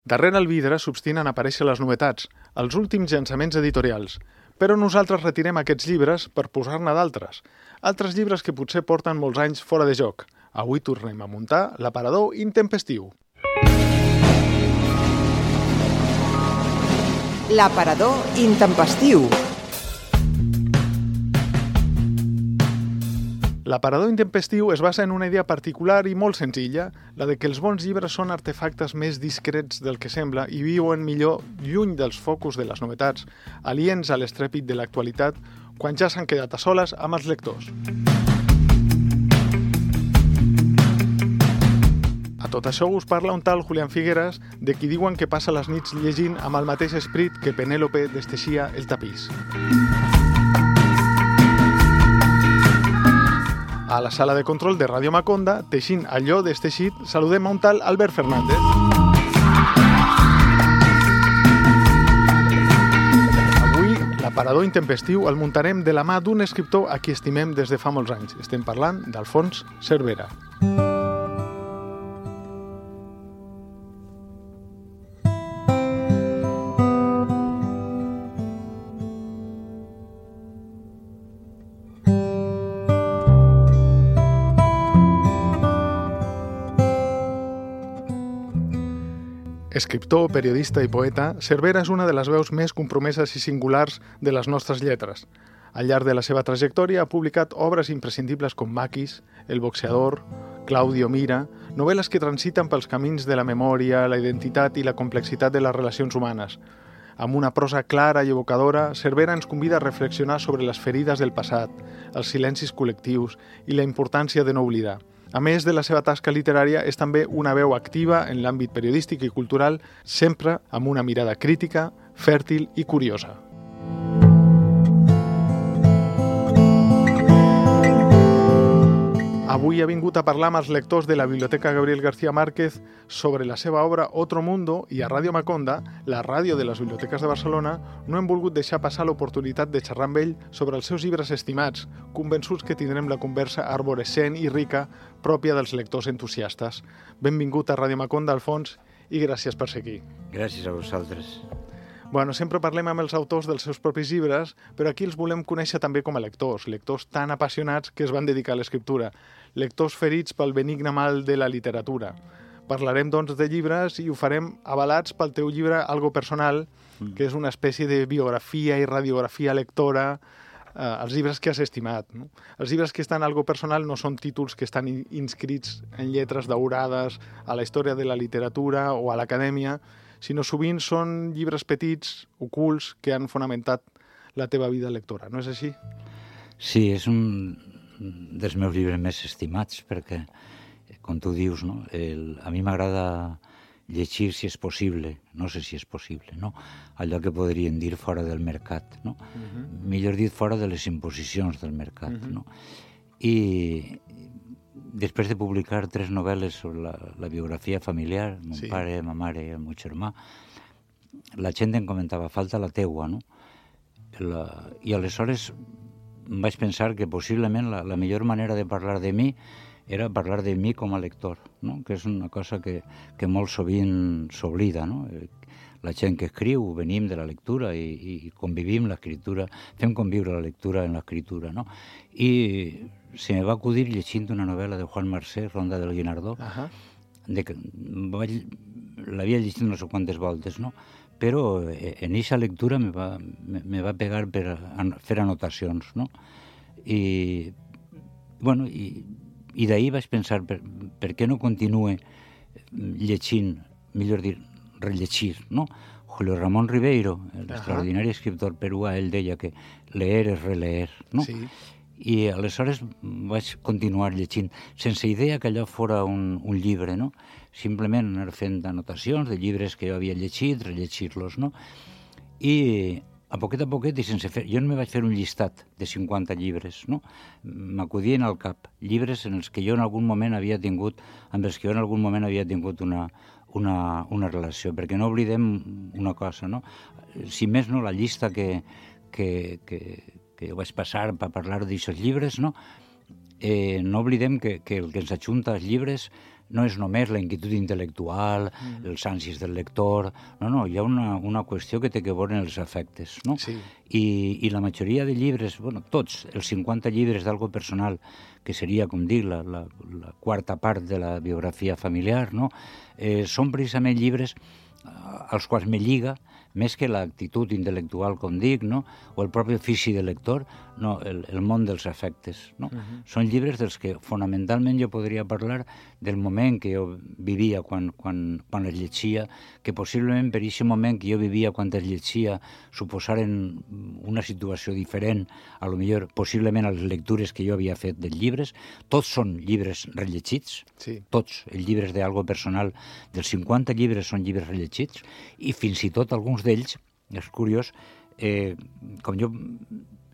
Darrere el vidre s'obstinen a aparèixer les novetats, els últims llançaments editorials. Però nosaltres retirem aquests llibres per posar-ne d'altres. Altres llibres que potser porten molts anys fora de joc. Avui tornem a muntar l'aparador intempestiu. L'aparador intempestiu. L'aparador intempestiu es basa en una idea particular i molt senzilla, la de que els bons llibres són artefactes més discrets del que sembla i viuen millor lluny dels focus de les novetats, aliens a l'estrèpit de l'actualitat, quan ja s'han quedat a soles amb els lectors. A tot això us parla un tal Julián Figueras, de qui diuen que passa les nits llegint amb el mateix esperit que Penélope desteixia el tapís. A la sala de control de Ràdio Maconda, teixint allò desteixit, saludem a un tal Albert Fernández. Avui, l'aparador intempestiu el muntarem de la mà d'un escriptor a qui estimem des de fa molts anys. Estem parlant d'Alfons Cervera. Escriptor, periodista i poeta, Cervera és una de les veus més compromeses i singulars de les nostres lletres. Al llarg de la seva trajectòria ha publicat obres imprescindibles com Maquis, El boxeador, Claudio Mira, novel·les que transiten pels camins de la memòria, la identitat i la complexitat de les relacions humanes. Amb una prosa clara i evocadora, Cervera ens convida a reflexionar sobre les ferides del passat, els silencis col·lectius i la importància de no oblidar. A més de la seva tasca literària, és també una veu activa en l'àmbit periodístic i cultural, sempre amb una mirada crítica, fèrtil i curiosa. Avui ha vingut a parlar amb els lectors de la Biblioteca Gabriel García Márquez sobre la seva obra Otro Mundo i a Ràdio Maconda, la ràdio de les biblioteques de Barcelona, no hem volgut deixar passar l'oportunitat de xerrar amb ell sobre els seus llibres estimats, convençuts que tindrem la conversa arborescent i rica pròpia dels lectors entusiastes. Benvingut a Ràdio Maconda, Alfons, i gràcies per ser aquí. Gràcies a vosaltres. Bueno, sempre parlem amb els autors dels seus propis llibres, però aquí els volem conèixer també com a lectors tan apassionats que es van dedicar a l'escriptura, lectors ferits pel benigne mal de la literatura. Parlarem, doncs, de llibres i ho farem avalats pel teu llibre Algo Personal, que és una espècie de biografia i radiografia lectora, els llibres que has estimat. No? Els llibres que estan Algo Personal no són títols que estan inscrits en lletres daurades a la història de la literatura o a l'acadèmia, sinó sovint són llibres petits, ocults, que han fonamentat la teva vida lectora. No és així? Sí, és un dels meus llibres més estimats, perquè, com tu dius, no? A mi m'agrada llegir si és possible, no sé si és possible, no? Allò que podríem dir fora del mercat, no? Millor dit, fora de les imposicions del mercat, no? I després de publicar 3 novel·les sobre la biografia familiar, mon pare, ma mare i el meu germà, la gent em comentava, falta la teua, no? I aleshores vaig pensar que possiblement la millor manera de parlar de mi era parlar de mi com a lector, no? Que és una cosa que molt sovint s'oblida, no? La gent que escriu, venim de la lectura i convivim l'escriptura, fem conviure la lectura en l'escriptura, no? I se me va acudir llegint una novel·la de Juan Marsé, Ronda del Guinardó, l'havia llegit no sé quantes voltes, no? Però en aquesta lectura me va pegar per fer anotacions, no? I d'ahir vaig pensar, per què no continue llegint, millor dir, rellegir, no? Julio Ramón Ribeiro, l'extraordinari escriptor peruà, ell deia que leer és releer, no? Sí. I aleshores vaig continuar llegint, sense idea que allò fora un llibre, no? Simplement anar fent anotacions de llibres que jo havia llegit, rellegir-los, no? I a poquet, i sense fer... Jo no me vaig fer un llistat de 50 llibres, no? M'acudien al cap llibres en els que jo en algun moment havia tingut, una relació, perquè no oblidem una cosa, no? Si més no, la llista que jo vaig passar per parlar d'aixòs llibres, no? No oblidem que el que ens ajunta als llibres no és només la inquietud intel·lectual, els ànsies del lector, no, hi ha una qüestió que té que veure en els afectes, no? Sí. I la majoria de llibres, bueno, tots, els 50 llibres d'algo personal, que seria, com dic, la quarta part de la biografia familiar, no? Són precisament llibres als quals me lliga, més que l'actitud intel·lectual, com dic, no? O el propi ofici de lector, no, el món dels afectes, no? Són llibres dels que fonamentalment jo podria parlar del moment que jo vivia quan els llegia, que possiblement per aquest moment que jo vivia quan els llegia suposaren una situació diferent, a lo millor possiblement a les lectures que jo havia fet dels llibres. Tots són llibres rellegits, Sí. tots, els llibres d'algo personal, dels 50 llibres són llibres rellegits, i fins i tot alguns d'ells, és curiós, com jo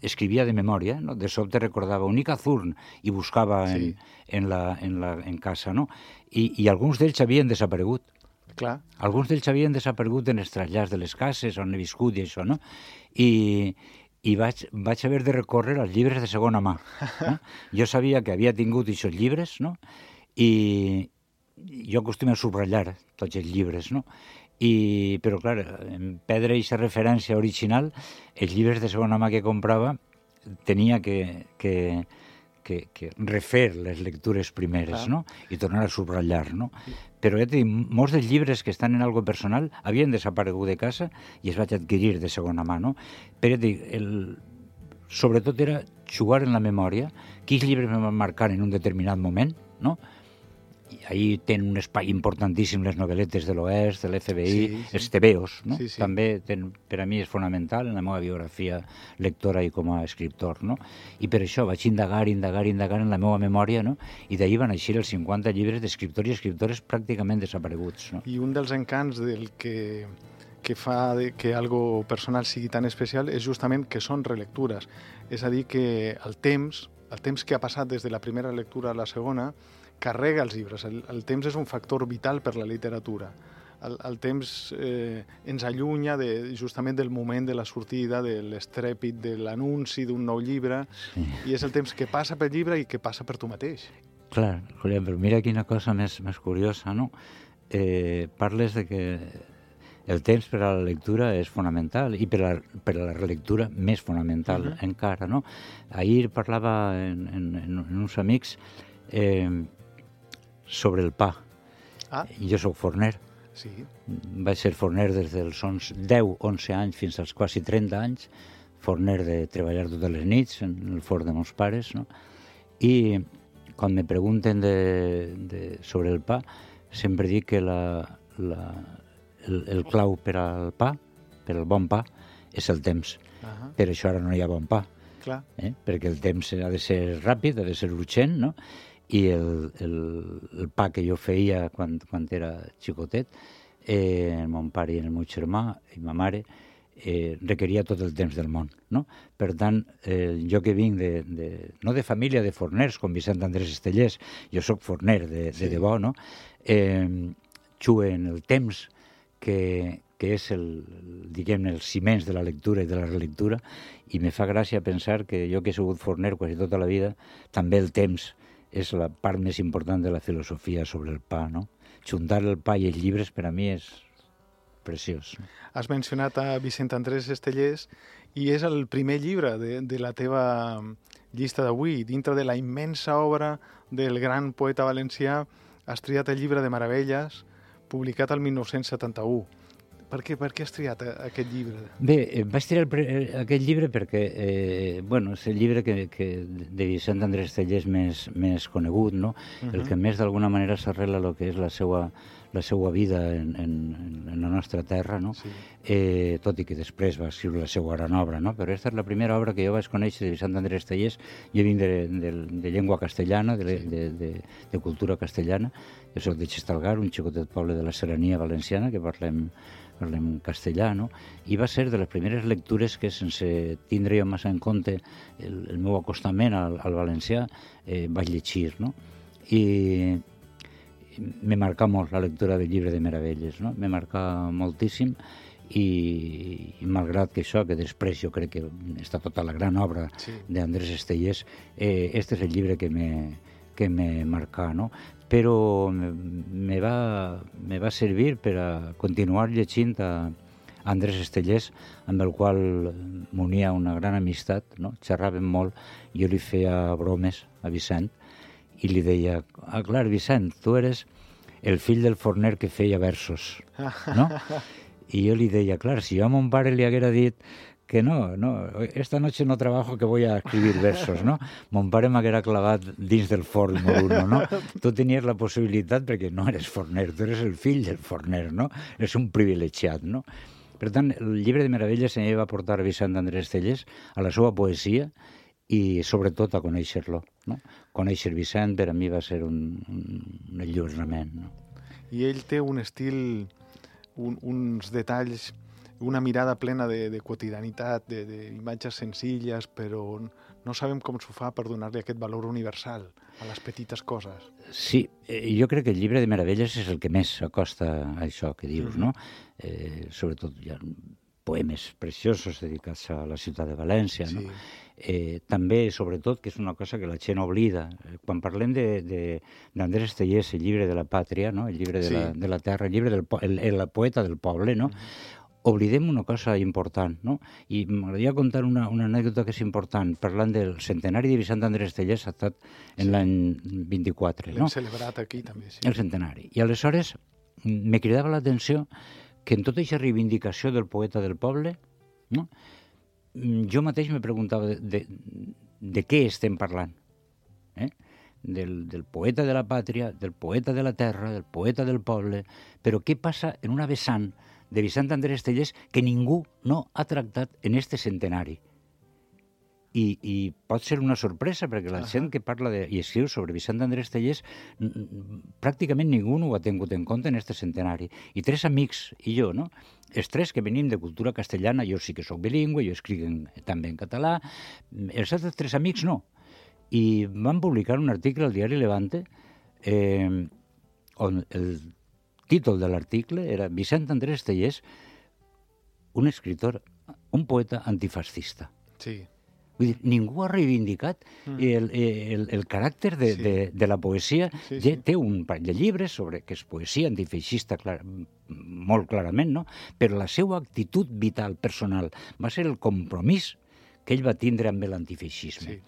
escrivia de memòria, no? De sobte recordava un Icazurn i buscava en casa, no? I alguns d'ells havien desaparegut. Clar. Alguns d'ells havien desaparegut en els trasllats de les cases on he viscut i això, no? I vaig haver de recórrer als llibres de segona mà. No? Jo sabia que havia tingut aquests llibres, no? I jo acostumo a subratllar tots els llibres, no? Però, clar, en perdre aquesta referència original, els llibres de segona mà que comprava tenia que refer les lectures primeres, no? I tornar a subratllar, no? Però ja t'he dit, molts dels llibres que estan en algo personal havien desaparegut de casa i es vaig adquirir de segona mà, no? Però ja t'he dit, sobretot era jugar en la memòria, quins llibres me van marcar en un determinat moment, no? I ahí tenen un espai importantíssim les novel·letes de l'Oest, de l'FBI, els tebeos, no? Sí, sí. També per a mi és fonamental en la meva biografia lectora i com a escriptor, no? I per això vaig indagar en la meva memòria, no? I d'ahir van eixir els 50 llibres d'escriptors i escriptores pràcticament desapareguts, no? I un dels encants del que fa que algo personal sigui tan especial és justament que són relectures. És a dir, que el temps que ha passat des de la primera lectura a la segona carrega els llibres. El temps és un factor vital per la literatura. El temps ens allunya justament del moment de la sortida, de l'estrèpit, de l'anunci d'un nou llibre, i és el temps que passa pel llibre i que passa per tu mateix. Clar, Julián, però mira quina cosa més curiosa, no? Parles de que el temps per a la lectura és fonamental i per a la relectura més fonamental encara, no? Ahir parlava en uns amics sobre el pa. Jo soc forner. Sí. Vaig ser forner des dels 10-11 anys fins als quasi 30 anys, forner de treballar totes les nits en el forn de meus pares, no? I quan me pregunten sobre el pa, sempre dic que el clau per al pa, per al bon pa, és el temps. Per això ara no hi ha bon pa. Clar. Perquè el temps ha de ser ràpid, ha de ser urgent, no? I el pa que jo feia quan era xicotet, mon pare i el meu germà i ma mare, requeria tot el temps del món, no? Per tant, jo que vinc no de família de forners, com Vicent Andrés Estellés, jo sóc forner de debò, no? Jugue en el temps que és diguem-ne, els ciments de la lectura i de la relectura, i me fa gràcia pensar que jo que he sigut forner quasi tota la vida, també el temps és la part més important de la filosofia sobre el pa, no? Juntar el pa i els llibres per a mi és preciós. Has mencionat a Vicent Andrés Estellés i és el primer llibre de la teva llista d'avui. Dintre de la immensa obra del gran poeta valencià has triat el llibre de Meravelles, publicat el 1971. Per què has triat aquest llibre? Bé, vaig triar aquest llibre perquè és el llibre de Vicent Andrés Estellés més conegut, no? El que més d'alguna manera s'arrela el que és la seva vida en la nostra terra, no? Sí. Tot i que després va escriure la seva gran obra, no? Però aquesta és la primera obra que jo vaig conèixer de Vicent Andrés Estellés. Jo vinc de llengua castellana, de cultura castellana. Jo soc de Xestalgar, un xicotet poble de la Serrania Valenciana, que parlem castellà, no? I va ser de les primeres lectures que, sense tindre jo massa en compte el meu acostament al valencià, vaig llegir, no? I me marca molt la lectura del llibre de Meravelles, no? Me marca moltíssim, i malgrat que això, que després jo crec que està tota la gran obra d'Andrés Estellés, este és el llibre que me marca, no? però me va servir per a continuar llegint a Andrés Estellés, amb el qual m'unia una gran amistat, no? Xerràvem molt, jo li feia bromes a Vicent i li deia, clar, Vicent, tu eres el fill del forner que feia versos, no? I jo li deia, clar, si jo a mon pare li haguera dit que no, esta noche no trabajo, que voy a escribir versos, no? Mon pare m'haguera clavat dins del forn moruno, no? Tu tenies la possibilitat perquè no eres forner, tu eres el fill del forner, no? És un privilegiat, no? Per tant, el llibre de meravelles em va portar Vicent Andrés Estellés a la seva poesia i sobretot a conèixer-lo, no? Conèixer Vicent per a mi va ser un enlluernament, no? I ell té un estil, uns detalls, una mirada plena de quotidianitat, d'imatges senzilles, però no sabem com s'ho fa per donar-li aquest valor universal a les petites coses. Sí, jo crec que el llibre de meravelles és el que més s'acosta a això que dius, no? Sobretot hi ha poemes preciosos dedicats a la ciutat de València, no? També, sobretot, que és una cosa que la gent oblida, quan parlem d'Andrés Estellés, el llibre de la pàtria, no? El llibre de la terra, el llibre el poeta del poble, no? Oblidem una cosa important, no? I m'agradaria contar una anècdota que és important, parlant del centenari de Vicent Andrés Estellés, ha estat en l'any 24, no? L'hem celebrat aquí, també, sí. El centenari. I aleshores me cridava l'atenció que en tota aquesta reivindicació del poeta del poble, no? Jo mateix me preguntava de què estem parlant, del poeta de la pàtria, del poeta de la terra, del poeta del poble, però què passa en una vessant de Vicent Andrés Estellés que ningú no ha tractat en este centenari. I pot ser una sorpresa, perquè la gent que parla i escriu sobre Vicent Andrés Estellés pràcticament ningú no ho ha tingut en compte en este centenari. I tres amics i jo, no? Els tres que venim de cultura castellana, jo sí que sóc bilingüe, jo escric també en català, els altres tres amics no. I van publicar un article al diari Levante on el títol de l'article era Vicent Andrés Estellés, un escritor, un poeta antifascista. Sí. Vull dir, ningú ha reivindicat el caràcter de la poesia. Té un parell de llibres sobre que és poesia antifeixista, molt clarament, no? Però la seva actitud vital, personal, va ser el compromís que ell va tindre amb l'antifeixisme. Sí.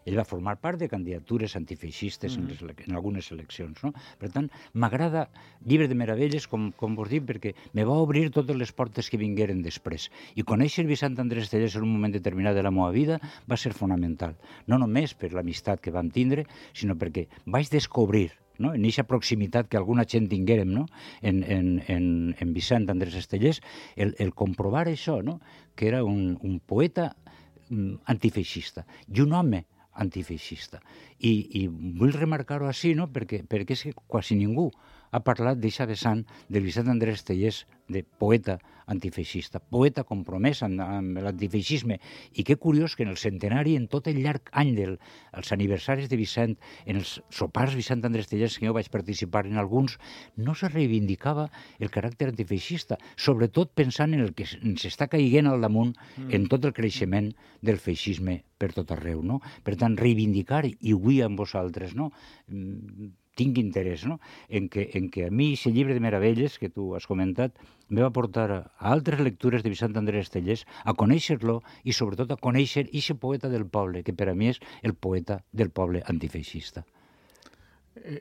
Ell va formar part de candidatures antifeixistes en algunes eleccions, no? Per tant, m'agrada Llibre de meravelles, com vos dic, perquè me va obrir totes les portes que vingueren després. I conèixer Vicent Andrés Estellés en un moment determinat de la meva vida va ser fonamental. No només per l'amistat que vam tindre, sinó perquè vaig descobrir, no? En aquesta proximitat que alguna gent tinguérem, no? en Vicent Andrés Estellés, el comprovar això, no? Que era un poeta antifeixista i un home antifeixista. I vull remarcar-ho així, no? Perquè és que quasi ningú ha parlat d'aquesta vessant de Vicent Andrés Estellés, de poeta antifeixista, poeta compromès amb l'antifeixisme. I que curiós que en el centenari, en tot el llarg any dels aniversaris de Vicent, en els sopars Vicent Andrés Estellés, que jo vaig participar en alguns, no se reivindicava el caràcter antifeixista, sobretot pensant en el que ens està caiguent al damunt en tot el creixement del feixisme per tot arreu, no? Per tant, reivindicar, i avui amb vosaltres, no? Tinc interès, no? En que a mi aquest llibre de meravelles que tu has comentat me va portar a altres lectures de Vicent Andrés Estellés, a conèixer-lo i sobretot a conèixer aquest poeta del poble, que per a mi és el poeta del poble antifeixista.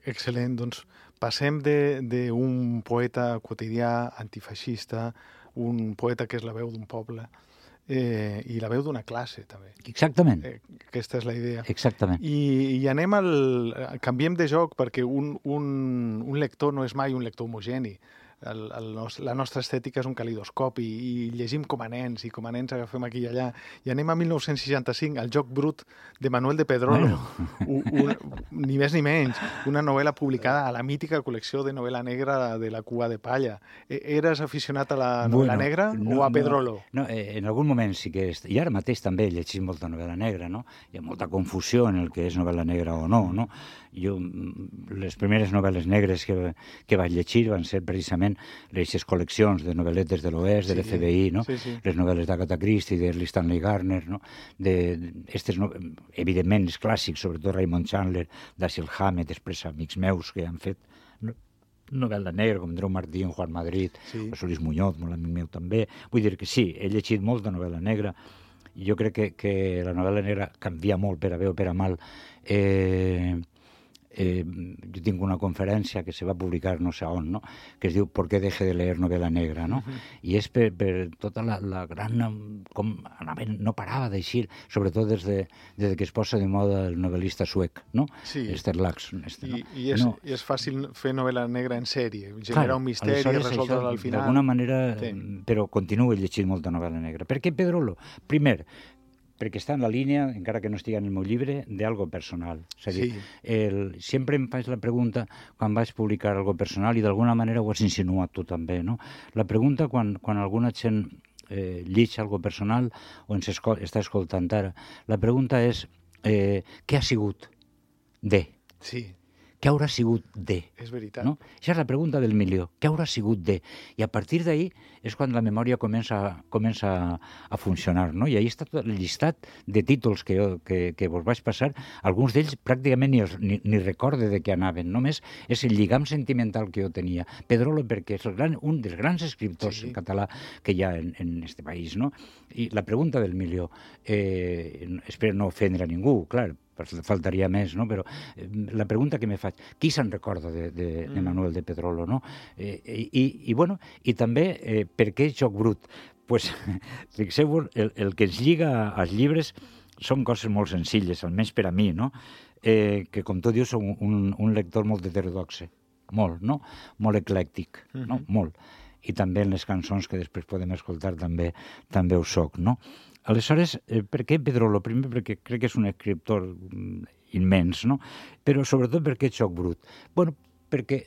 Excel·lent, doncs passem d'un poeta quotidià antifeixista, un poeta que és la veu d'un poble, i la veu d'una classe, també. Exactament. Aquesta és la idea. Exactament. I anem canviem de joc, perquè un lector no és mai un lector homogeni. La nostra estètica és un calidoscopi i llegim com a nens, i com a nens agafem aquí i allà. I anem a 1965, El joc brut de Manuel de Pedrolo, ni més ni menys, una novel·la publicada a la mítica col·lecció de novel·la negra de la Cua de Palla. Eres aficionat a la novel·la negra o a Pedrolo? No, en algun moment sí que... I ara mateix també llegim molta novel·la negra, no? Hi ha molta confusió en el que és novel·la negra o no, no? Jo, les primeres novel·les negres que vaig llegir van ser precisament evidentment, les col·leccions de novel·letes de l'Oest, de l'FBI, no? Les novel·les d'Agatha Christie, de Stanley Gardner, no? Evidentment, els clàssics, sobretot Raymond Chandler, Dashiell Hammett, després amics meus que han fet novel·la negra, com Andreu Martí, Juan Madrid, o Solís Muñoz, molt amic meu també. Vull dir que sí, he llegit molt de novel·la negra. Jo crec que la novel·la negra canvia molt per a bé o per a mal. Jo tinc una conferència que se va publicar no sé on, no? Que es diu ¿Por qué deje de leer novela negra? No? I és per tota la gran... com no parava d'eixir, sobretot des que es posa de moda el novel·lista suec, no? Sí. Esther Laxton. I és fàcil fer novel·la negra en sèrie, generar un misteri, resoldre'l al final. D'alguna manera, però continuo llegint molta novel·la negra. Per què Pedrolo? Primer, perquè està en la línia, encara que no estigui en el meu llibre, d'algo personal. És a dir, sempre em faig la pregunta, quan vaig publicar algo personal, i d'alguna manera ho has insinuat tu també, no? La pregunta, quan alguna gent llig algo personal o ens està escoltant ara, la pregunta és què ha sigut de? Sí. Què haurà sigut de? És veritat. No? Això és la pregunta del milió. Què haurà sigut de? I a partir d'ahí és quan la memòria comença a funcionar, no? I ahí està tot el llistat de títols que vos vaig passar. Alguns d'ells pràcticament ni recorde de què anaven. Només és el lligam sentimental que jo tenia. Pedrolo, perquè és un dels grans escriptors en català que hi ha en este país, no? I la pregunta del milió, espero no ofendre a ningú, clar, faltaria més, no? Però la pregunta que me faig, qui se'n recorda de Manuel de Pedrolo, no? I també, per què Joc Brut? Pues, fixeu-vos, el que ens lliga als llibres són coses molt senzilles, almenys per a mi, no? Que, com tu dius, som un lector molt heterodoxe, molt, no? Molt eclèctic, no? Molt. I també en les cançons que després podem escoltar també ho soc, no? Aleshores, per què Pedrolo? Primer perquè crec que és un escriptor immens, no? Però sobretot perquè és Joc Brut. Bueno, perquè,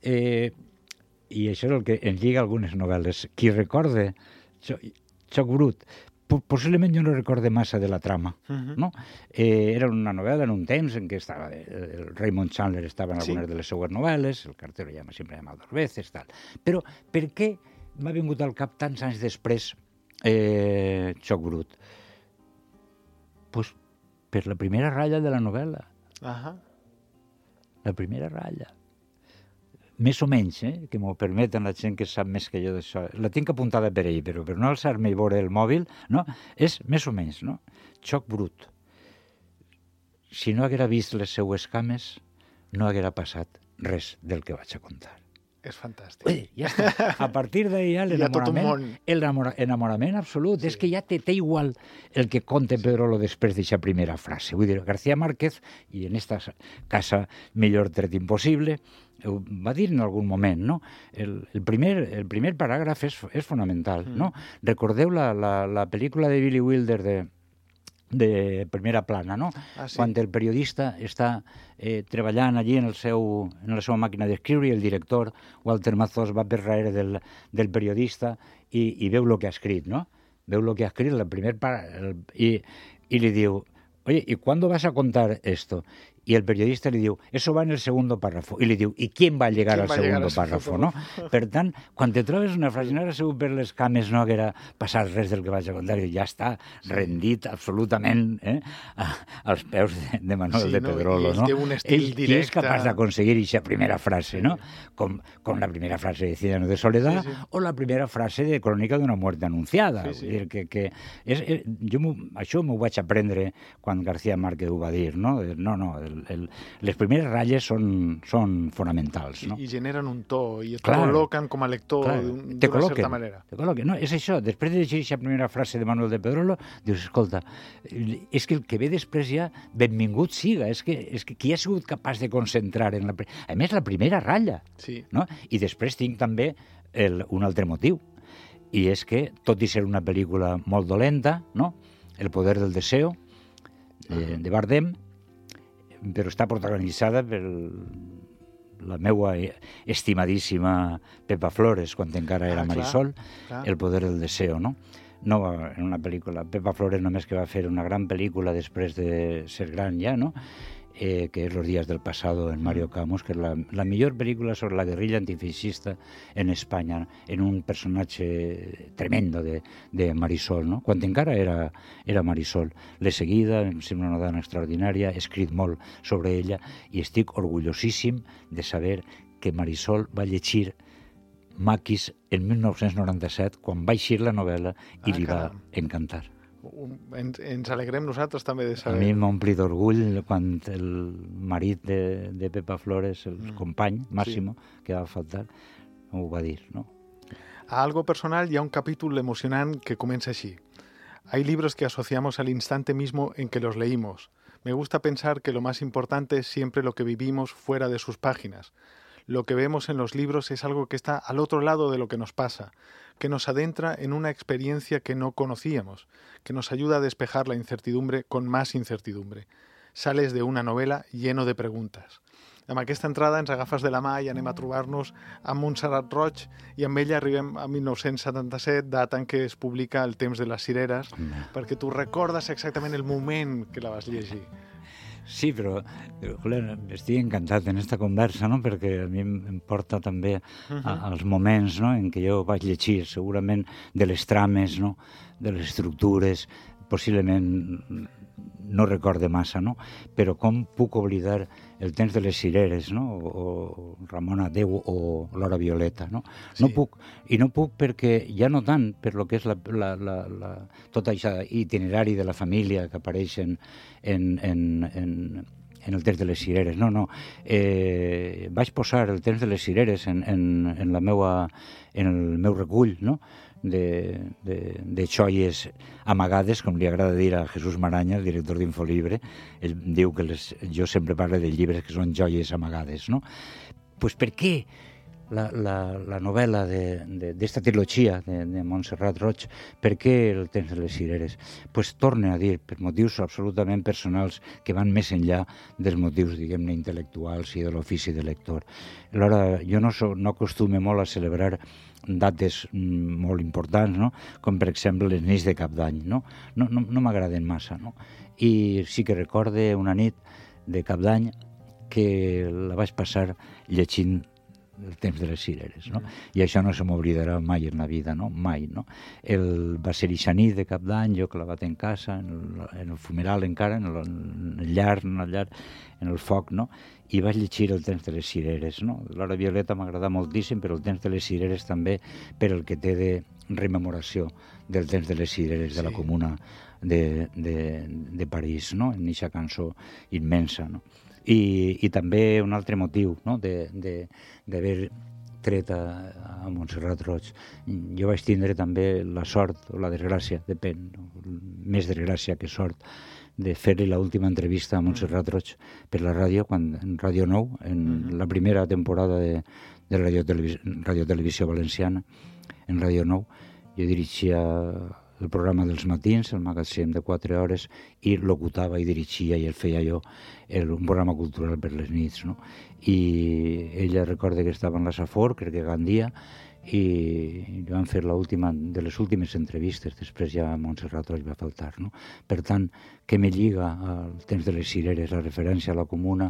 i això és el que ens lliga algunes novel·les, qui recorde Joc Brut, possiblement jo no recorde massa de la trama, no? Era una novel·la en un temps en què estava el Raymond Chandler estava en algunes de les seues novel·les, el cartero sempre llama dos veces, tal. Però per què m'ha vingut al cap tants anys després Joc Brut? Pues per la primera ratlla de la novel·la. La primera ratlla. Més o menys, que m'ho permeten la gent que sap més que jo d'això. La tinc apuntada per ell, però per no alçar-me i veure el mòbil, no? És més o menys, no? Joc Brut. Si no haguera vist les seues cames, no haguera passat res del que vaig a contar. És fantàstic. Ja està. A partir d'ahí ja l'enamorament absolut. És que ja té igual el que conta Pedrolo després d'aquesta primera frase. Vull dir, García Márquez, i en esta casa millor tret impossible, ho va dir en algun moment, no? El primer paràgraf és fonamental, no? Recordeu la pel·lícula de Billy Wilder de Primera Plana, no? Quan el periodista està treballant allí en la seva màquina d'escriure i el director, Walter Mazós, va per darrere del periodista i veu el que ha escrit, no? Veu el que ha escrit, i li diu, oye, ¿y cuándo vas a contar esto? Y el periodista li diu, eso va en el segundo párrafo. I li diu, ¿y quién va a llegar al segundo párrafo? No? Per tant, quan te trobes una frase, no haguera sigut per les cames, no haguera passat res del que vaig a contar, i ja està rendit absolutament als peus de Manuel de Pedrolo. I ell té un estil directe. Ell és capaç d'aconseguir aquesta primera frase, no? Com la primera frase de Ciudadano de Soledad o la primera frase de Crónica d'una muerte anunciada. Vull dir que jo això m'ho vaig aprendre quan García Márquez ho va dir, no? Les primeres ratlles són fonamentals, no? I generen un to, i et col·loquen com a lector d'una certa manera. Te col·loquen. No, és això. Després de llegir aquesta primera frase de Manuel de Pedrolo, dius, escolta, és que el que ve després ja, benvingut siga. És que qui ha sigut capaç de concentrar en a més, la primera ratlla. No? I després tinc també un altre motiu. I és que, tot i ser una pel·lícula molt dolenta, no? El poder del deseo, de Bardem, però està protagonitzada per la meua estimadíssima Pepa Flores, quan encara era Marisol, El poder del deseo, no? No en una pel·lícula. Pepa Flores només que va fer una gran pel·lícula després de ser gran ja, no? que es Los días del pasado, en Mario Camus, que és la millor pel·lícula sobre la guerrilla antifeixista en Espanya, en un personatge tremendo de Marisol, no? Quan encara era Marisol. L'he seguida, em sembla una dona extraordinària, he escrit molt sobre ella i estic orgullosíssim de saber que Marisol va llegir Maquis en 1997, quan va eixir la novel·la i li va encantar. Ens alegrem nosaltres també de saber. A mi m'ompli d'orgull quan el marit de Pepa Flores, el company, Máximo, que va faltar, ho va dir, ¿no? A algo personal hi ha un capítol emocionant que comença així. Hay libros que asociamos al instante mismo en que los leímos. Me gusta pensar que lo más importante es siempre lo que vivimos fuera de sus páginas. Lo que vemos en los libros es algo que está al otro lado de lo que nos pasa, que nos adentra en una experiencia que no conocíamos, que nos ayuda a despejar la incertidumbre con más incertidumbre. Sales de una novela lleno de preguntes. Amb aquesta entrada ens agafes de la mà i anem a trobar-nos amb Montserrat Roig i amb ella arribem a 1977, data en què es publica El temps de les cireres, perquè tu recordes exactament el moment que la vas llegir. Sí, però estic encantat en aquesta conversa, no? Perquè a mi em porta també als moments, no? En què jo vaig llegir, segurament de les trames, no? De les estructures, possiblement no recorde massa, no? Però com puc oblidar El temps de les cireres, no? O Ramona Déu o L'hora violeta, no? Sí. No puc, i no puc perquè, ja no tant per lo que és tot això itinerari de la família que apareix en El temps de les cireres, no. Vaig posar El temps de les cireres en el meu recull, no? de joies amagades, com li agrada dir a Jesús Maraña, el director d'Infolibre. Ell diu que jo sempre parlo de llibres que són joies amagades, no? Pues per què la novel·la d'esta trilogia de Montserrat Roig, per què El temps de les cireres? Pues torne a dir, per motius absolutament personals que van més enllà dels motius, diguem-ne, intel·lectuals i de l'ofici de lector. Alhora, jo no acostumo molt a celebrar dates molt importants, no? Com per exemple les nits de Cap d'Any, no m'agraden massa, no? I sí que recorde una nit de Cap d'Any que la vaig passar llegint El temps de les cireres, no? I això no se m'oblidarà mai en la vida, no? Mai, no? Va ser eixa nit de Cap d'Any, jo clavat en casa, en el fumeral encara, en el llar, en el foc, no? I vaig llegir El temps de les cireres, no? L'hora violeta m'agrada moltíssim, però El temps de les cireres també per el que té de rememoració del temps de les cireres de la comuna de París, no? En eixa cançó immensa, no? I també un altre motiu, no? d'haver tret a Montserrat Roig. Jo vaig tindre també la sort o la desgràcia, depèn, més desgràcia que sort, de fer-li l'última entrevista a Montserrat Roig per la ràdio, en Ràdio Nou, en la primera temporada de Radio Televisió Valenciana, en Ràdio Nou. Jo dirigia el programa dels matins, el magatzem de 4 hores, i locutava i dirigia i el feia jo, un programa cultural per les nits, no? I ella recorda que estava en la Safor, crec que Gandia, i van fer de les últimes entrevistes, després ja Montserrat Roig va faltar, no? Per tant, què me lliga al temps de les cireres, la referència a la comuna,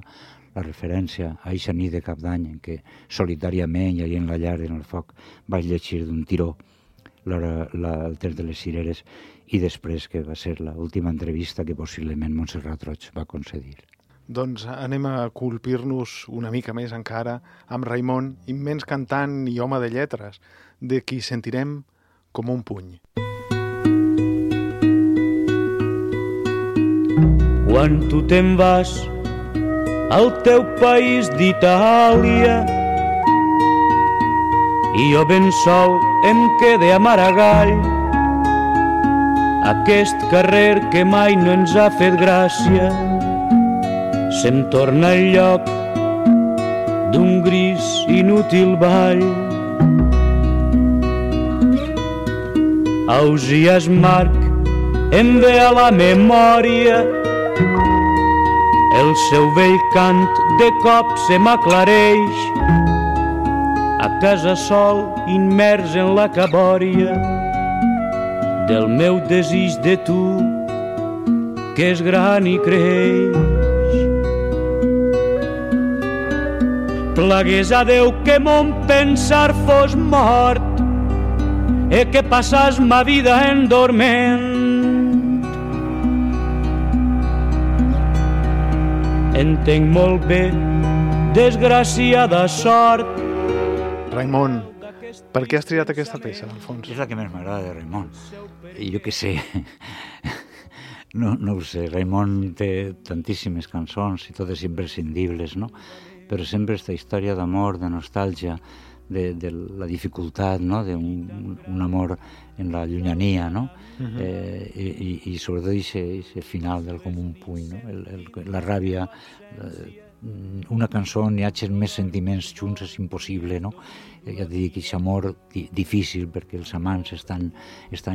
la referència a eixa nit de Cap d'Any, en què solitàriament, i en la llar, en el foc, vaig llegir d'un tiró El temps de les cireres, i després que va ser l'última entrevista que possiblement Montserrat Roig va concedir. Doncs anem a colpir-nos una mica més encara amb Raimon, immens cantant i home de lletres, de qui sentirem com un puny. Quan tu te'n vas al teu país d'Itàlia i jo ben sol em quede a Maragall, aquest carrer que mai no ens ha fet gràcia se'm torna el lloc d'un gris inútil ball. Ausiàs Marc em ve a la memòria, el seu vell cant de cop se m'aclareix, a casa sol immers en la cabòria del meu desig de tu que és gran i creix. Plagués a Déu que mon pensar fos mort e que passàs ma vida en dorment. Entenc molt bé, desgraciada sort. Raimon, per què has triat aquesta peça, Alfons? És la que més m'agrada de Raimon. I jo què sé, no ho sé, Raimon té tantíssimes cançons i totes imprescindibles, no? Però sempre aquesta història d'amor, de nostàlgia, de la dificultat, no? d'un amor en la llunyania, no? I sobretot aquest final del com un puny, no? La ràbia, una cançó on hi hagi més sentiments junts és impossible, no? Ja et dic, aquest amor difícil perquè els amants estan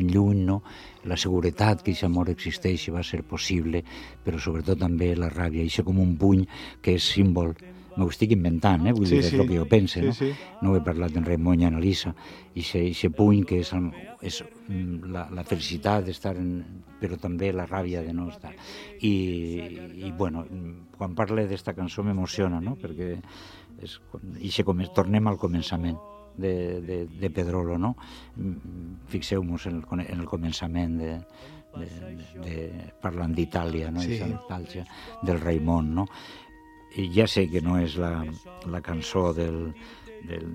lluny, no? La seguretat que aquest amor existeix va ser possible, però sobretot també la ràbia, això com un puny que és símbol. M'ho estic inventant, vull dir, és el que jo pense, no? No ho he parlat en Raimon i en Elisa. Aquest puny que és la felicitat d'estar, però també la ràbia de no estar. I bueno, quan parle d'esta cançó m'emociona, no? Perquè tornem al començament de Pedrolo, no? Fixeu-vos en el començament parlant d'Itàlia, no? Aquesta nostàlgia del Raimon, no? I ja sé que no és la cançó del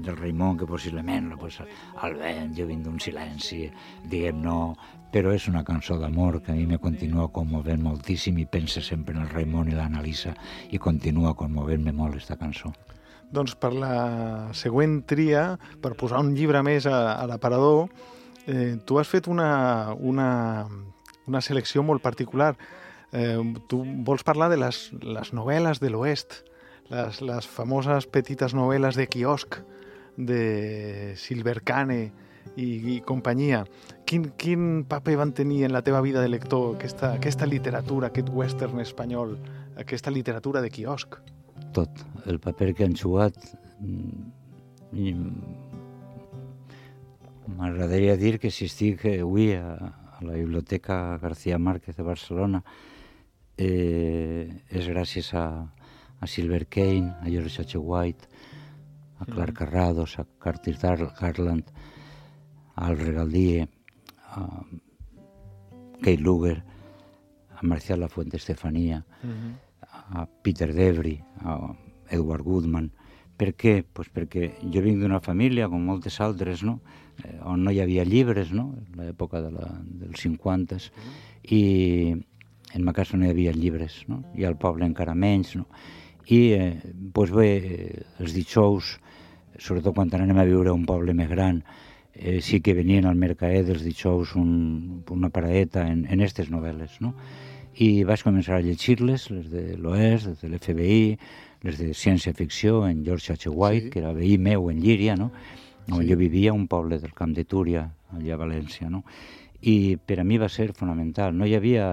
Raimon, que possiblement la posa al vent, jo vinc d'un silenci, diguem no, però és una cançó d'amor que a mi me continua conmovent moltíssim i pense sempre en el Raimon i l'Analisa i continua conmovent-me molt aquesta cançó. Doncs per la següent tria, per posar un llibre més a l'aparador, tu has fet una selecció molt particular. Tu vols parlar de les novel·les de l'Oest, les famoses petites novel·les de quiosc de Silver Cane i companyia. Quin paper van tenir en la teva vida de lector aquesta literatura, aquest western espanyol, aquesta literatura de quiosc? Tot. El paper que han jugat m'agradaria dir que si estic avui a la Biblioteca García Márquez de Barcelona és gràcies a Silver Cane, a George H. White, a Clark Carrados, a Curtis Garland, a Al Regaldie, a Kate Luger, a Marcial Lafuente Estefanía, a Peter Debris, a Edward Goodman. Per què? Pues perquè jo vinc d'una família, com moltes altres, no? On no hi havia llibres, no? En l'època dels 50s, i en ma casa no hi havia llibres, no? I al poble encara menys, no? I doncs bé, els dijous, sobretot quan anem a viure a un poble més gran, sí que venien al mercadet els dijous una paradeta en aquestes novel·les, no? I vaig començar a llegir-les, les de l'Oest, les de l'FBI, les de ciència-ficció, en George H. White, que era veí meu en Llíria, no? On jo vivia, un poble del Camp de Túria, allà a València, no? I per a mi va ser fonamental. No hi havia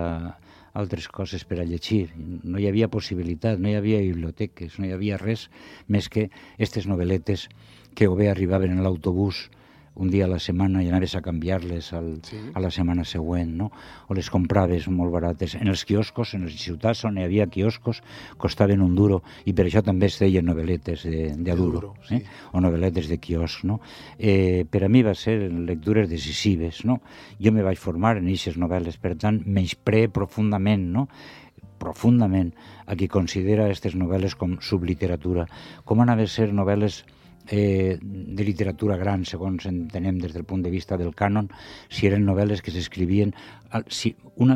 altres coses per a llegir, no hi havia possibilitat, no hi havia biblioteques, no hi havia res més que aquestes novel·letes que o bé arribaven en l'autobús un dia a la setmana i anaves a canviar-les a la setmana següent, no? O les compraves molt barates. En els quioscos, en les ciutats on hi havia quioscos, costaven $1, i per això també es deien novel·letes de duro, o novel·letes de quiosc, no? Per a mi va ser lectures decisives, no? Jo me vaig formar en aquestes novel·les, per tant, menyspree profundament, no? Profundament a qui considera aquestes novel·les com subliteratura, com han de ser novel·les de literatura gran, segons entenem des del punt de vista del cànon, si eren novel·les que s'escrivien com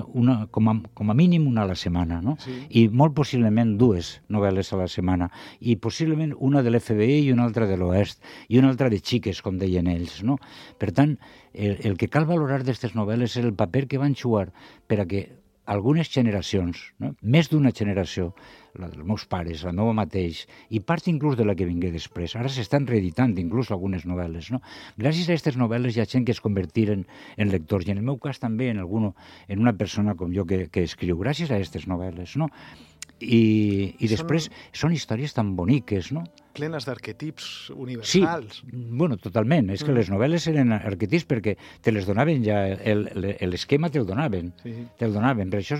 a mínim una a la setmana, no? I molt possiblement 2 novel·les a la setmana, i possiblement una de l'FBI i una altra de l'Oest, i una altra de xiques, com deien ells, no? Per tant, el que cal valorar d'aquestes novel·les és el paper que van jugar per a que algunes generacions, no? Més d'una generació, la dels meus pares, la meva mateix, i part inclús de la que vingué després. Ara s'estan reeditant inclús algunes novel·les, no? Gràcies a aquestes novel·les hi ha gent que es convertiren en lectors, i en el meu cas també en una persona com jo que escriu, gràcies a aquestes novel·les, no? I després són històries tan boniques, no? Plenes d'arquetips universals. Sí, bueno, totalment. És que les novel·les eren arquetips perquè te les donaven ja, l'esquema te'l donaven. Te'l donaven. Per això,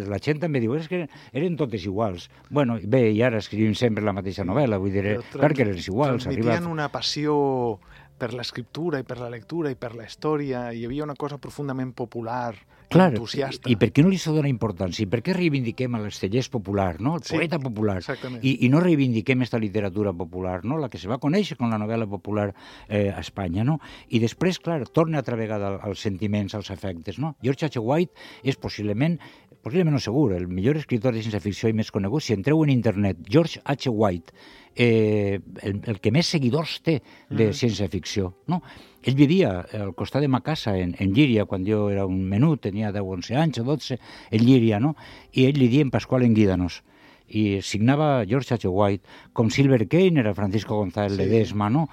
la gent també diu, és que eren totes iguals. Bueno, bé, i ara escrivim sempre la mateixa novel·la, vull dir, clar que eren iguals. Transmetien una passió per l'escriptura i per la lectura i per la història. Hi havia una cosa profundament popular, clar, entusiasta. I per què no li s'ha donat importància? I per què reivindiquem l'Estellés popular, no? El poeta popular. I no reivindiquem esta literatura popular, no? La que se va conèixer com la novel·la popular a Espanya, no? I després, clar, torna altra vegada als sentiments, als afectes, no? George H. White és possiblement no segur, el millor escriptor de ciència-ficció i més conegut. Si entreu en internet, George H. White, el que més seguidors té de ciència-ficció, no? Ell vivia al costat de ma casa, en Llíria, quan jo era un menut, tenia 10 o 11 anys o 12, en Llíria, no? I ell li deia en Pasqual Enguídanos. I signava George H. White, com Silver Kane era Francisco González Ledesma, no?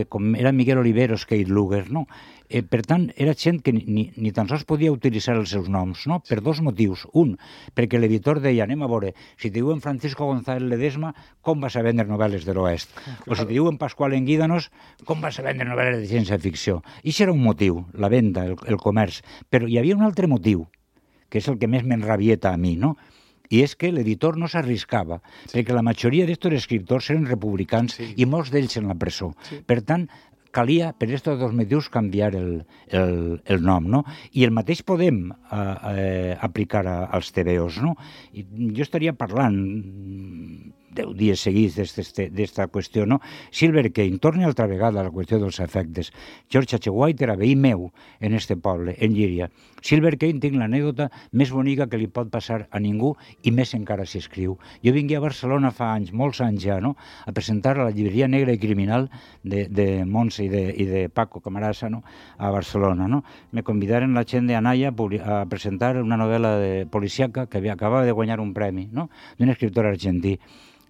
Com era Miguel Oliveros, Kate Luger, no? Per tant, era gent que ni tan sols podia utilitzar els seus noms, no? Per dos motius. Un, perquè l'editor deia, anem a veure, si te diuen Francisco González Ledesma, com vas a vendre novel·les de l'Oest? O si te diuen Pasqual Enguídanos, com vas a vendre novel·les de ciència-ficció? I això era un motiu, la venda, el comerç. Però hi havia un altre motiu, que és el que més m'enrabieta a mi, no? I és que l'editor no s'arriscava, perquè la majoria d'estos escriptors eren republicans i molts d'ells en la presó. Per tant, calia, per aquests dos motius, canviar el nom, no? I el mateix podem aplicar als TVOs, no? I jo estaria parlant 10 dies seguits d'esta qüestió, no? Silver Kane, torna altra vegada a la qüestió dels efectes. George H. White era veí meu en este poble, en Llíria. Silver Kane tinc l'anècdota més bonica que li pot passar a ningú i més encara si escriu. Jo vingué a Barcelona fa anys, molts anys ja, no?, a presentar a la llibreria Negra i Criminal de Montse i de Paco Camarasa, no?, a Barcelona, no? Me convidaren la gent d'Anaya a presentar una novel·la policíaca que acabava de guanyar un premi, no?, d'un escriptor argentí.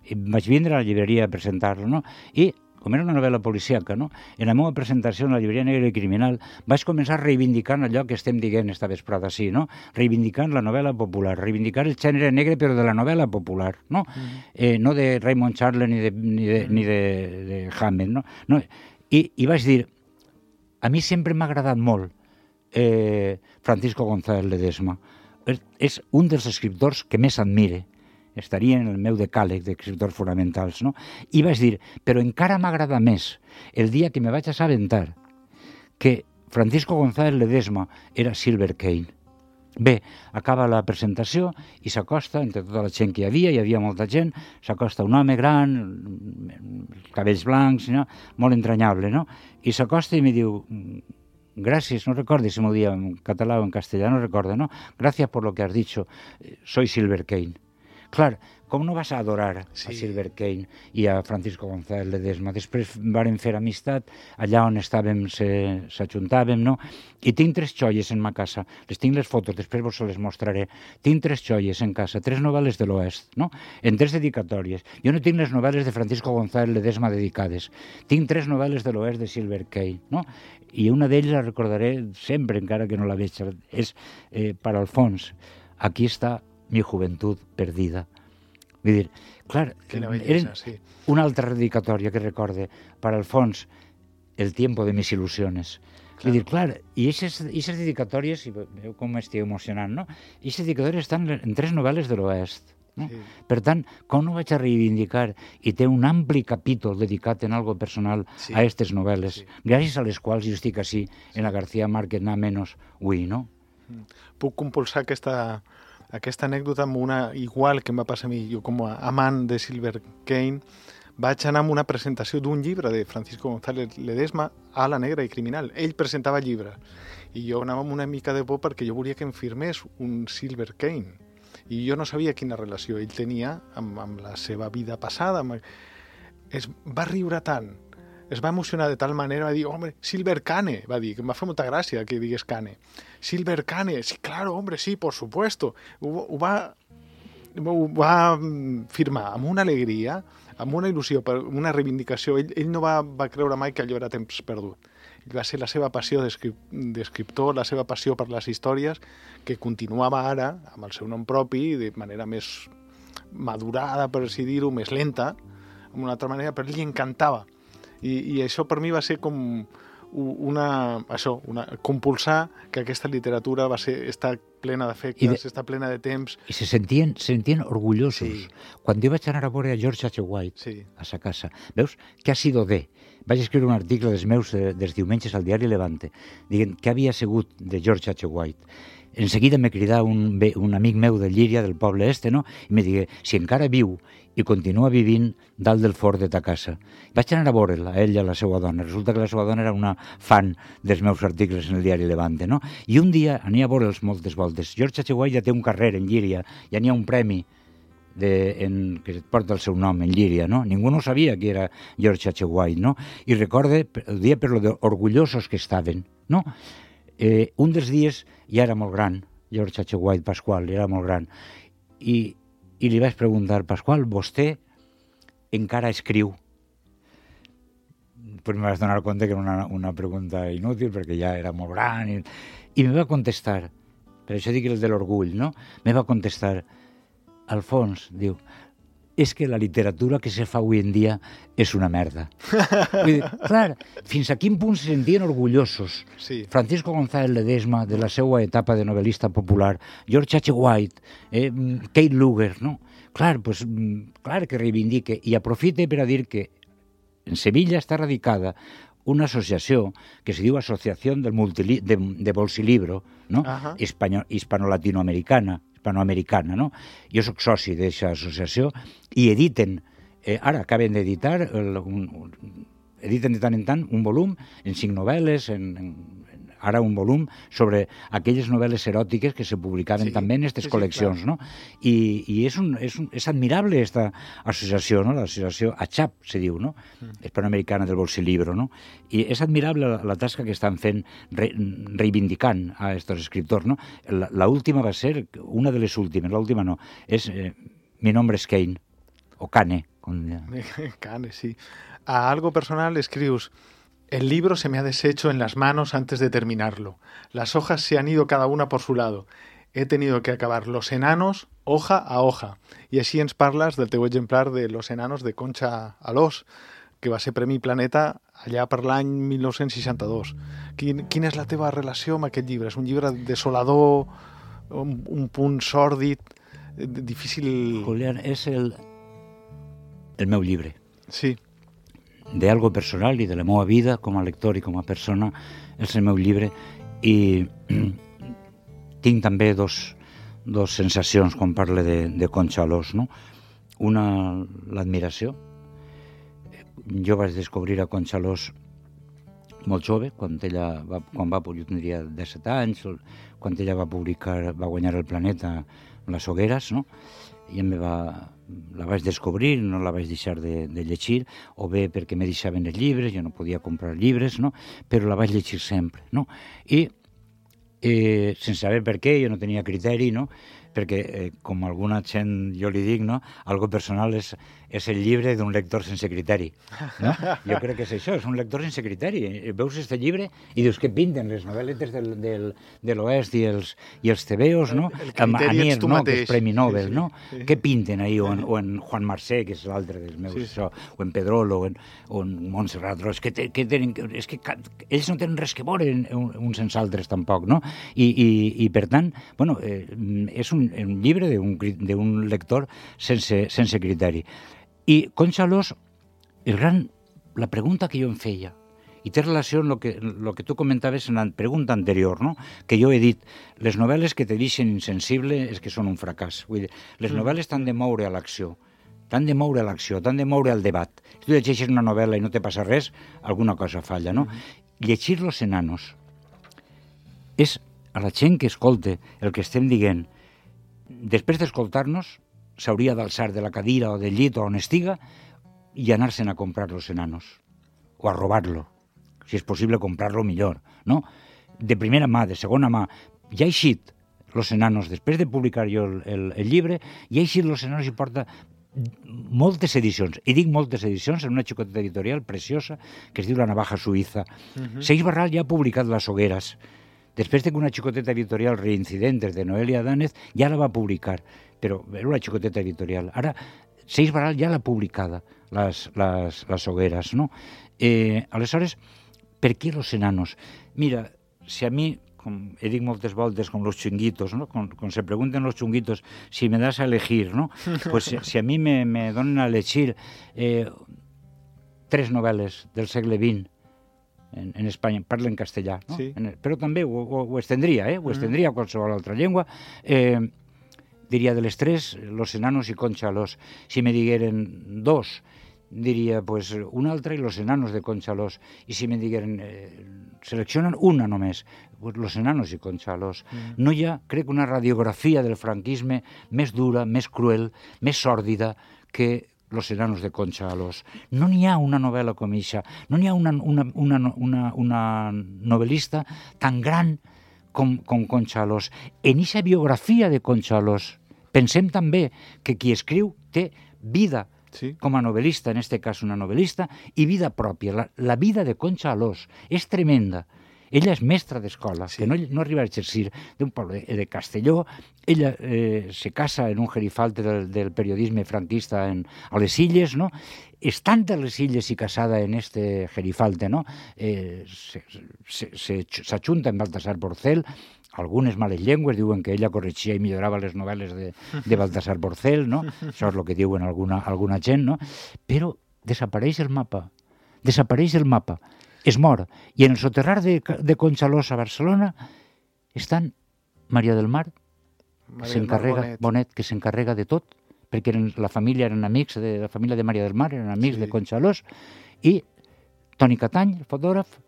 I vaig vindre a la llibreria a presentar-lo, no? I, com era una novel·la policíaca, no?, en la meva presentació en la llibreria Negra i Criminal vaig començar reivindicant allò que estem dient esta vesprada, sí, no? Reivindicant la novel·la popular, reivindicar el gènere negre però de la novel·la popular, no? No de Raymond Chandler ni de Hammett, no? I vaig dir, a mi sempre m'ha agradat molt Francisco González Ledesma. És un dels escriptors que més admire. Estaria en el meu decàleg d'escriptors fonamentals, no? I vaig dir, però encara m'agrada més el dia que me vaig assabentar que Francisco González Ledesma era Silver Kane. Bé, acaba la presentació i s'acosta, entre tota la gent que hi havia molta gent, s'acosta un home gran, cabells blancs, no?, molt entranyable, no? I s'acosta i me diu, gràcies, no recordo si m'ho dia en català o en castellà, no recordo, no? Gràcies por lo que has dicho, soy Silver Kane. Clar, com no vas a adorar a Silver Kane i a Francisco González Ledesma? Després varen fer amistat, allà on estàvem s'ajuntàvem, no? I tinc 3 joies en ma casa, les tinc les fotos, després vos les mostraré. Tinc 3 joies en casa, 3 novel·les de l'Oest, no? En 3 dedicatòries. Jo no tinc les novel·les de Francisco González Ledesma dedicades. Tinc 3 novel·les de l'Oest de Silver Kane, no? I una d'elles la recordaré sempre, encara que no la veig. És per Alfons. Aquí està mi juventud perdida. Vull dir, clar, era una altra dedicatòria que recorde per Alfons, el tiempo de mis ilusiones. Vull dir, clar, i aquestes dedicatòries, i veu com m'estic emocionant, no? Aquestes dedicatòries estan en 3 novel·les de l'Oest. No? Per tant, com no vaig a reivindicar i té un ampli capítol dedicat en algo personal a aquestes novel·les, gràcies a les quals jo estic així en la García Márquez nada menos avui, no? Puc compulsar aquesta anècdota amb una igual que em va passar a mi. Jo, com a amant de Silver Kane, vaig anar amb una presentació d'un llibre de Francisco González Ledesma a la Negra i Criminal. Ell presentava llibres i jo anava amb una mica de por perquè jo volia que em firmés un Silver Kane i jo no sabia quina relació ell tenia amb la seva vida passada. Es va riure tant, es va emocionar de tal manera, va dir, hombre, Silver Kane, va dir, que em va fer molta gràcia que digués Kane. Silver Kane, sí, claro, hombre, sí, por supuesto. Ho va firmar amb una alegria, amb una il·lusió, una reivindicació. Ell no va creure mai que allò era temps perdut. Va ser la seva passió d'escriptor, la seva passió per les històries, que continuava ara amb el seu nom propi de manera més madurada, per així dir-ho, més lenta, d'una altra manera, però li encantava. I això per mi va ser com compulsar que aquesta literatura està plena d'efectes, està plena de temps. I se sentien orgullosos. Sí. Quan jo vaig anar a veure a George H. White a sa casa, veus, què ha sido de? Vaig escriure un article dels meus dels diumenges al diari Levante, dient què havia sigut de George H. White. En seguida me cridà un amic meu de Llíria, del poble este, no? I me digué, si encara viu i continua vivint dalt del fort de ta casa. Vaig anar a veure'l, a ell i a la seva dona. Resulta que la seva dona era una fan dels meus articles en el diari Levante, no? I un dia ania a veure'ls moltes voltes. George H. White ja té un carrer en Llíria, ja n'hi ha un premi que porta el seu nom, en Llíria, no? Ningú no sabia qui era George H. White, no? I recorde el dia per lo de orgullosos que estaven, no? Un dels dies ja era molt gran, George H. White, Pasqual, era molt gran, i li vaig preguntar, Pasqual, vostè encara escriu? Pues me vas donar compte que era una pregunta inútil, perquè ja era molt gran, i me va contestar, per això dic el de l'orgull, no? Me va contestar, Alfons, diu, és que la literatura que se fa avui en dia és una merda. Vull dir, clar, fins a quin punt se sentien orgullosos. Sí. Francisco González Ledesma, de la seva etapa de novel·lista popular, George H. White, Kate Luger, no? Clar, pues, clar que reivindique, i aprofite per a dir que en Sevilla està radicada una associació que se diu Associació de Bolsilibro, no? Hispano-latinoamericana, no? Jo soc soci d'aquesta associació i editen, ara acaben d'editar, editen de tant en tant un volum en 5 novel·les, ara un volum sobre aquelles novel·les eròtiques que se publicaven també en aquestes col·leccions, no? I és admirable aquesta associació, no? L'associació ACHAP, se diu, no? Hispanoamericana del Bolsilibro, no? I és admirable la tasca que estan fent reivindicant a aquests escriptors, no? L'última va ser, una de les últimes, l'última no, és Mi nombre es Kane, o Kane. Kane, sí. A algo personal escrius: el libro se me ha deshecho en las manos antes de terminarlo. Las hojas se han ido cada una por su lado. He tenido que acabar Los enanos hoja a hoja. I així ens parles del teu exemplar de Los enanos de Concha Alós, que va ser Premi Planeta allà per l'any 1962. Quina és la teva relació amb aquest llibre? És un llibre desolador, un punt sòrdid, difícil... Julián, és el meu llibre. Sí. De algo personal i de la meva vida com a lector i com a persona, és el meu llibre, i tinc també dos sensacions quan parle de Concha Alós, no? Una, l'admiració. Jo vaig descobrir a Concha Alós molt jove, quan jo tindria 17 anys, quan ella va guanyar el Planeta amb les Hogueres, no? I la vaig descobrir, no la vaig deixar de llegir, o bé perquè me deixaven els llibres, jo no podia comprar llibres, no? Però la vaig llegir sempre, no? I sense saber per què, jo no tenia criteri, no? Perquè, com alguna gent jo li dic, no? Algo personal és el llibre d'un lector sense criteri, no? Jo crec que és això, és un lector sense criteri. Veus aquest llibre i dius, què pinten les novel·letes de l'Oest i els tebeos, no? El criteri ets tu mateix. Que és Premi Nobel, sí. no? Què pinten ahí? O en Juan Marsé, que és l'altre dels meus, això, o en Pedrolo, o en Montserrat Roig, és que ells no tenen res que veure uns sense altres tampoc, no? I per tant, bueno, és un llibre d'un lector sense criteri. I Concha Alós, la pregunta que jo em feia, i té relació amb el que tu comentaves en la pregunta anterior, no? Que jo he dit, les novel·les que te deixen insensible és que són un fracàs. Vull dir, les novel·les t'han de moure a l'acció, t'han de moure al debat. Si tu llegeixes una novel·la i no te passa res, alguna cosa falla, no? Llegir Los enanos és a la gent que escolte el que estem dient. Després d'escoltar-nos, s'hauria d'alçar de la cadira o del llit o on estiga i anar-se'n a comprar Los enanos, o a robar-lo, si és possible comprar-lo millor, no? De primera mà, de segona mà. Ja ha eixit Los enanos, després de publicar jo el llibre, ja ha eixit Los enanos i porta moltes edicions, i dic moltes edicions, en una xicoteta editorial preciosa que es diu La navaja suïssa. Seix Barral ja ha publicat Les Hogueres, Després de que una xicoteta editorial, Reincidentes, de Noelia Danez, ja la va publicar, però era una xicoteta editorial. Ara, Seix Barral ja l'ha publicada, les hogueres, no? Aleshores, per què los enanos? Mira, si a mi, com he dit moltes voltes, com los chunguitos, ¿no? Quan se pregunten los chunguitos si me das a elegir, ¿no? Pues si a mi me donen a elegir 3 novel·les del segle XX en Espanya, parlo en castellà, no? Sí. Però també ho estendria, ho estendria a qualsevol altra llengua. Diria de les 3, Los enanos i Concha Alós. Si me digueren 2, diria pues una altra i Los enanos de Concha Alós. I si me digueren seleccionen una només, pues Los enanos i Concha Alós. No hi ha, crec, una radiografia del franquisme més dura, més cruel, més sòrdida que Los enanos de Concha Alós. No n'hi ha una novel·la com eixa, no n'hi ha una novel·lista tan gran com Concha Alós. En eixa biografia de Concha Alós pensem també que qui escriu té vida com a novel·lista, en este cas una novel·lista, i vida pròpia. La vida de Concha Alós és tremenda. Ella és mestra d'escola, que no arriba a exercir, d'un poble de Castelló. Ella se casa en un gerifalte del periodisme franquista a les Illes, no? Estant a les Illes i casada en este gerifalte, no? S'ajunta amb Baltasar Porcel. Algunes males llengües diuen que ella corregia i millorava les novel·les de Baltasar Porcel, no? Això és el que diuen alguna gent, no? Però desapareix el mapa. Es mor. I en el soterrar de Concha Alós a Barcelona estan Maria del Mar, Bonet, que s'encarrega de tot, perquè la família eren amics, la família de Maria del Mar eren amics de Concha Alós, i Toni Catany, el fotògraf,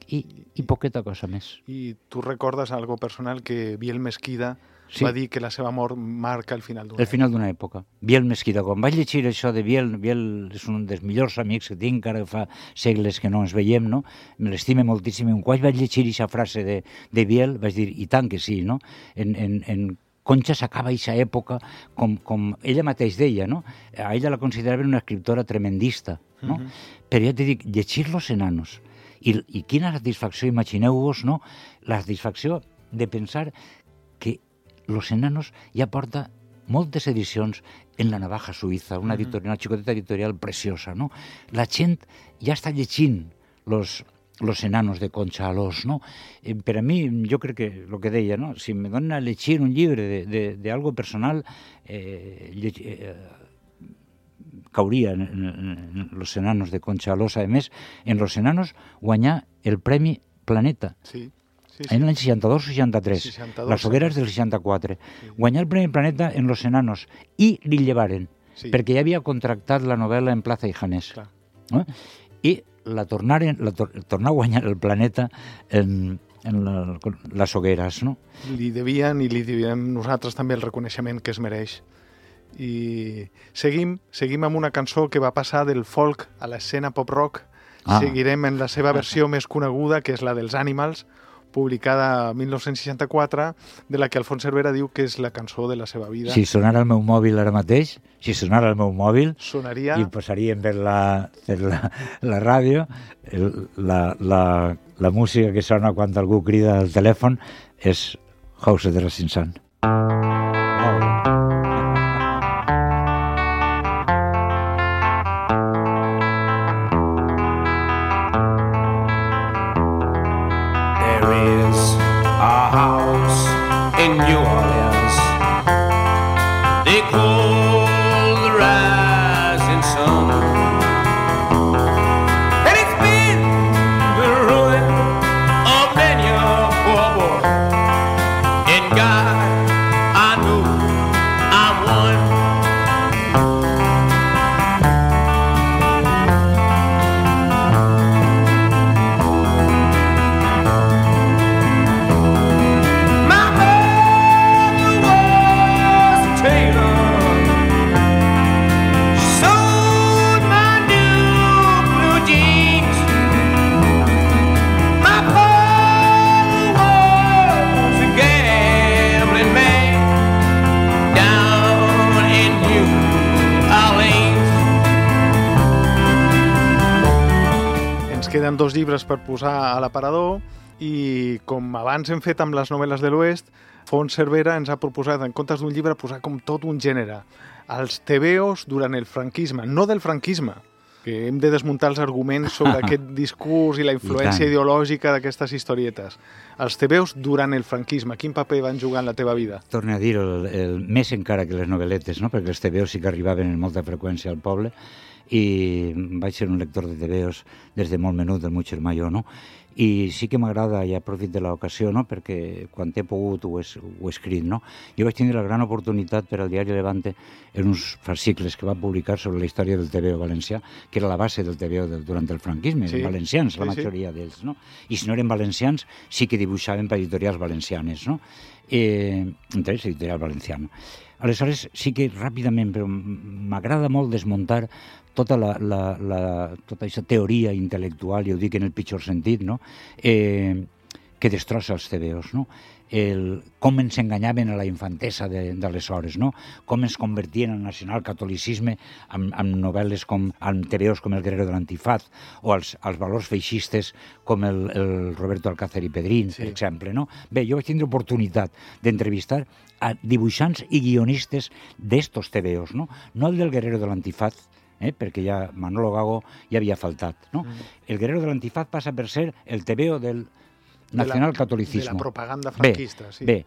i poqueta cosa més. I tu recordes algo personal que Biel Mesquida va dir que la seva mort marca el final d'una època. El final d'una època. Biel Mesquida, quan vaig llegir això de Biel és un dels millors amics que tinc, ara fa segles que no ens veiem, no? Me l'estime moltíssim. Quan vaig llegir aquesta frase de Biel, vaig dir, i tant que sí, no? En Concha s'acaba aquesta època, com ella mateix deia, no? A ella la consideraven una escriptora tremendista, no? Però ja t'he dit, llegir Los enanos, i quina satisfacció, imagineu-vos, no? La satisfacció de pensar que Los enanos ja porta moltes edicions en la Navaja Suïssa, una xicoteta editorial preciosa, no? La gent ja està llegint Los enanos de Concha Alós, no? Per a mi, jo crec que, el que deia, no? Si me donen a llegir un llibre de algo personal, cauria en Los enanos de Concha Alós. A més, en Los enanos guanyà el Premi Planeta. Sí. En l'any 62 o 63, les hogueres del 64. Guanyà el Premi Planeta en Los enanos i li llevaren, perquè ja havia contractat la novel·la en Plaza i Janés. I la tornar a guanyar el Planeta en les hogueres, no? Li devien i li deviem nosaltres també el reconeixement que es mereix. I seguim amb una cançó que va passar del folk a l'escena pop-rock. Seguirem en la seva versió més coneguda, que és la dels Animals, publicada en 1964, de la que Alfons Cervera diu que és la cançó de la seva vida. Si sonara el meu mòbil ara mateix, sonaria... i posaríem per la ràdio, la música que sona quan algú crida al telèfon és House of the Rising Sun. In New Orleans, they call the rising sun, and it's been the ruin of many a poor boy. And God, I know I'm one. Queden 2 llibres per posar a l'aparador I com abans hem fet amb les novel·les de l'Oest, Fons Cervera ens ha proposat, en comptes d'un llibre, posar com tot un gènere. Els tebeos durant el franquisme, no del franquisme, que hem de desmuntar els arguments sobre aquest discurs i la influència ideològica d'aquestes historietes. Els tebeos durant el franquisme, quin paper van jugar en la teva vida? Torno a dir, més encara que les novel·letes, no? Perquè els tebeos sí que arribaven en molta freqüència al poble, i vaig ser un lector de tebeos des de molt menut, del meu germà jo, no? I sí que m'agrada, i aprofit de l'ocasió, no? Perquè quan he pogut ho he escrit, no? Jo vaig tenir la gran oportunitat per al diari Levante en uns fascicles que va publicar sobre la història del tebeo valencià, que era la base del tebeo durant el franquisme, sí, valencians, la majoria d'ells, no? I si no eren valencians, sí que dibuixaven per editorials valencianes, no? Entre ells, editorial valenciana. Aleshores, sí que ràpidament, però m'agrada molt desmuntar tota tota aquesta teoria intel·lectual, i ho dic en el pitjor sentit, no? Que destrossa els tebeos, no? Com ens enganyaven a la infantesa d'aleshores, no? Com ens convertien al nacionalcatolicisme amb novel·les amb tebeos com El guerrero de l'antifaz, o als valors feixistes com el Roberto Alcázar i Pedrín, per exemple, no? Bé, jo vaig tindre oportunitat d'entrevistar a dibuixants i guionistes d'estos tebeos, no? No el del guerrero de l'antifaz, perquè ja Manolo Gago ja havia faltat, no? El guerrero de l'antifaz passa per ser el tebeo del nacionalcatolicisme. De la propaganda franquista, sí. Bé,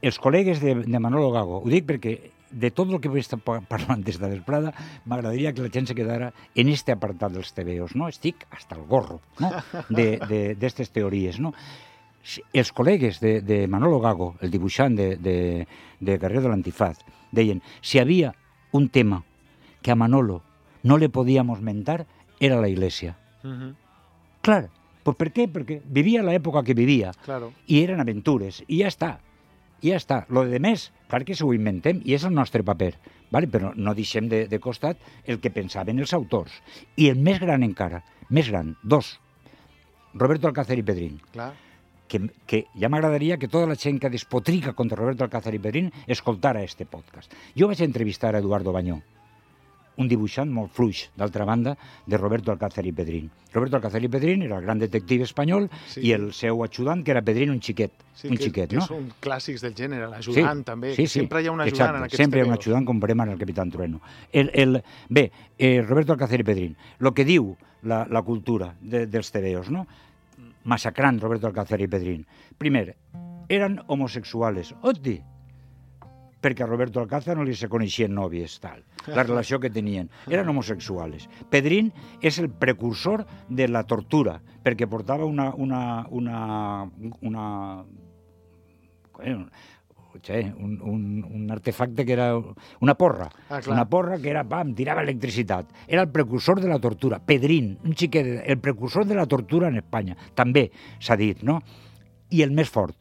els col·legues de Manolo Gago, ho dic perquè de tot el que vull estar parlant des de vesprada, m'agradaria que la gent se quedara en este apartat dels tebeos, no? Estic hasta el gorro, no? D'estes teories, no? Els col·legues de Manolo Gago, el dibuixant de Guerrero de l'Antifaz, deien, si havia un tema que a Manolo no le podíamos mentar, era la Iglesia. Clar, pues ¿per qué? Perquè vivia l'època que vivia, i eren aventures, i ja està. Lo de més, clar que s'ho inventem, i és el nostre paper, vale? Però no deixem de costat el que pensaven els autors. I el més gran encara, més gran, dos, Roberto Alcázar i Pedrín. Clar. Que ja m'agradaria que tota la gent que despotrica contra Roberto Alcázar i Pedrín escoltara este podcast. Jo vaig entrevistar a Eduardo Bañó, un dibuixant molt fluix, d'altra banda, de Roberto Alcázar i Pedrín. Roberto Alcázar i Pedrín era el gran detectiu espanyol, i el seu ajudant, que era Pedrín, un xiquet, no? Que són clàssics del gènere, l'ajudant també. Sempre hi ha un ajudant en aquests tebeos. Sempre hi ha un ajudant, com veurem en el Capitán Trueno. Bé, Roberto Alcázar i Pedrín, el que diu la cultura dels tebeos, no? Massacrant Roberto Alcázar i Pedrín. Primer, eren homosexuals. Oti! Perquè a Roberto Alcázar no li se coneixien nòvies, tal. La relació que tenien. Eren homosexuals. Pedrín és el precursor de la tortura, perquè portava un artefacte que era una porra. Una porra que era, tirava electricitat. Era el precursor de la tortura. Pedrín, un xiquet, el precursor de la tortura en Espanya. També s'ha dit, no? I el més fort,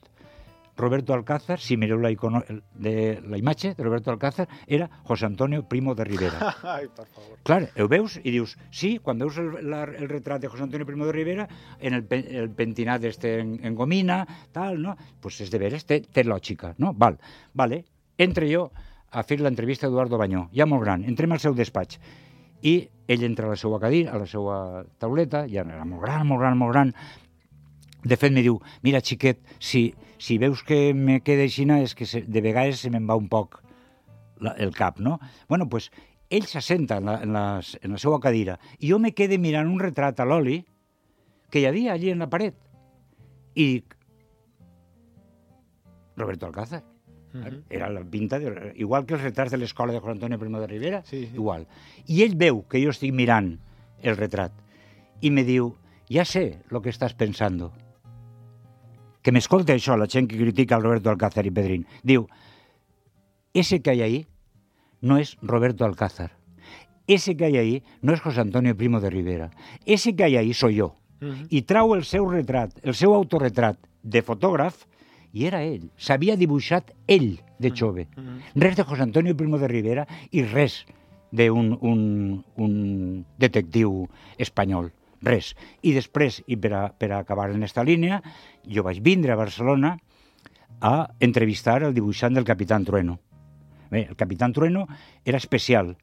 Roberto Alcázar, si mireu la imatge de Roberto Alcázar, era José Antonio Primo de Rivera. Ai, per favor. Clar, ho veus i dius, sí, quan veus el retrat de José Antonio Primo de Rivera, en el pentinat en gomina, tal, no? Pues és de veres, té lògica, no? Vale. Entre jo a fer l'entrevista a Eduardo Bañó, ja molt gran, entrem al seu despatx, i ell entra a la seva cadira, a la seva tauleta, ja era molt gran, de fet, me diu, mira, xiquet, si veus que me queda aixina és que de vegades se me'n va un poc el cap, no? Bueno, doncs, ell s'assenta en la seva cadira i jo me quede mirant un retrat a l'oli que hi havia allí en la paret. I dic, Roberto Alcázar. Era la pinta, igual que els retrats de l'escola de José Antonio Primo de Rivera, igual. I ell veu que jo estic mirant el retrat i me diu, ja sé lo que estàs pensando. Que m'escolta això, la gent que critica al Roberto Alcázar i Pedrín. Diu, ese que hay ahí no es Roberto Alcázar. Ese que hay ahí no es José Antonio Primo de Rivera. Ese que hay ahí soy yo. I trau el seu retrat, el seu autorretrat de fotògraf, i era ell. S'havia dibuixat ell de jove. Res de José Antonio Primo de Rivera i res d'un detectiu espanyol. Res. I després, i per acabar en esta línia, jo vaig vindre a Barcelona a entrevistar el dibuixant del Capitán Trueno. Bé, el Capitán Trueno era especial.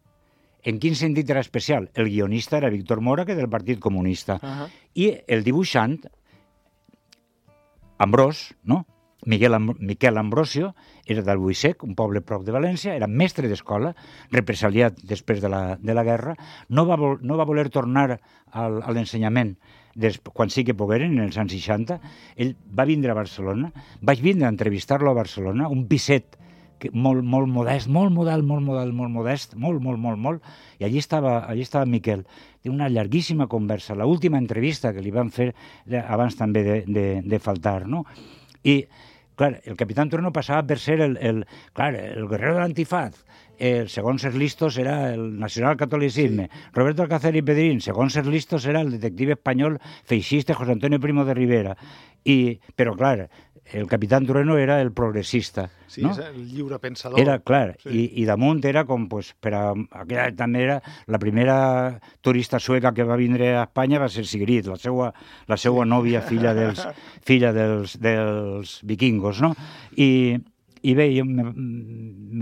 En quin sentit era especial? El guionista era Víctor Mora, que del Partit Comunista. I el dibuixant Ambrós, no? Miquel Ambrosio era d'Albuixec, un poble prop de València, era mestre d'escola, represaliat després de la guerra, no va voler tornar a l'ensenyament quan sí que pogueren, en els anys 60. Ell va vindre a Barcelona, vaig vindre a entrevistar-lo a Barcelona, un piset molt modest, molt modest, i allí estava Miquel. Té una llarguíssima conversa, l'última entrevista que li van fer abans també de faltar, no? I, clar, el Capitán Trueno passava per ser el guerrero de l'antifaz. Segons els listos era el nacionalcatolicisme. Sí. Roberto Alcázar y Pedrín, segons els listos era el detective espanyol feixista José Antonio Primo de Rivera. Però, clar, el Capitán Trueno era el progressista. Sí, no? És el lliure pensador. Era, clar, sí. I damunt era com, pues, per a aquella també era la primera turista sueca que va vindre a Espanya va ser Sigrid, la seua nòvia, filla dels vikingos, no? I bé, em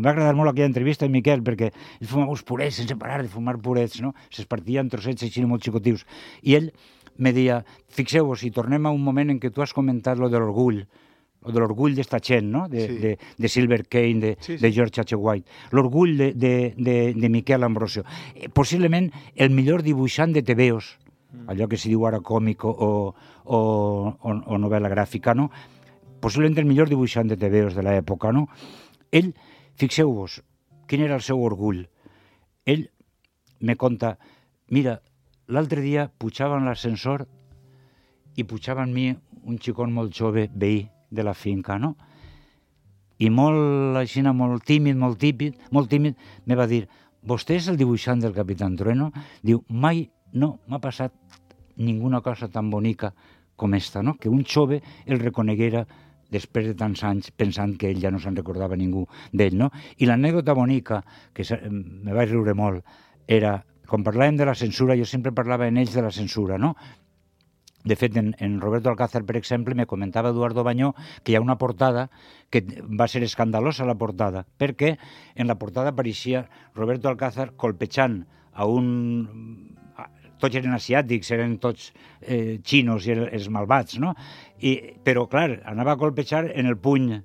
va agradar molt aquella entrevista amb Miquel, perquè ell fumava uns purets sense parar de fumar purets, no? Se'ls partia en trossets així molt xicotius. I ell me deia, fixeu-vos, si tornem a un moment en què tu has comentat lo de l'orgull d'esta gent, no? De Silver Kane, de George H. White. L'orgull de Miquel Ambrosio. Possiblement el millor dibuixant de tebeos, allò que s'hi diu ara còmic o novel·la gràfica, no? Possiblement el millor dibuixant de tebeos de l'època, no? Ell, fixeu-vos, quin era el seu orgull? Ell me conta, mira, l'altre dia pujava en l'ascensor i pujava amb mi un xicón molt jove, veí de la finca, no? I molt tímid, me va dir, vostè és el dibuixant del Capitán Trueno? Diu, mai no m'ha passat ninguna cosa tan bonica com esta, no? Que un jove el reconeguera després de tants anys pensant que ell ja no se'n recordava ningú d'ell, no? I l'anècdota bonica, que me vaig riure molt, era, quan parlàvem de la censura, jo sempre parlava en ells de la censura, no? De fet, en Roberto Alcázar, per exemple, me comentava Eduardo Bañó que hi ha una portada que va ser escandalosa, la portada, perquè en la portada apareixia Roberto Alcázar colpejant a un... Tots eren asiàtics, eren tots xinos i els malvats, no? Però, clar, anava a colpejar en el puny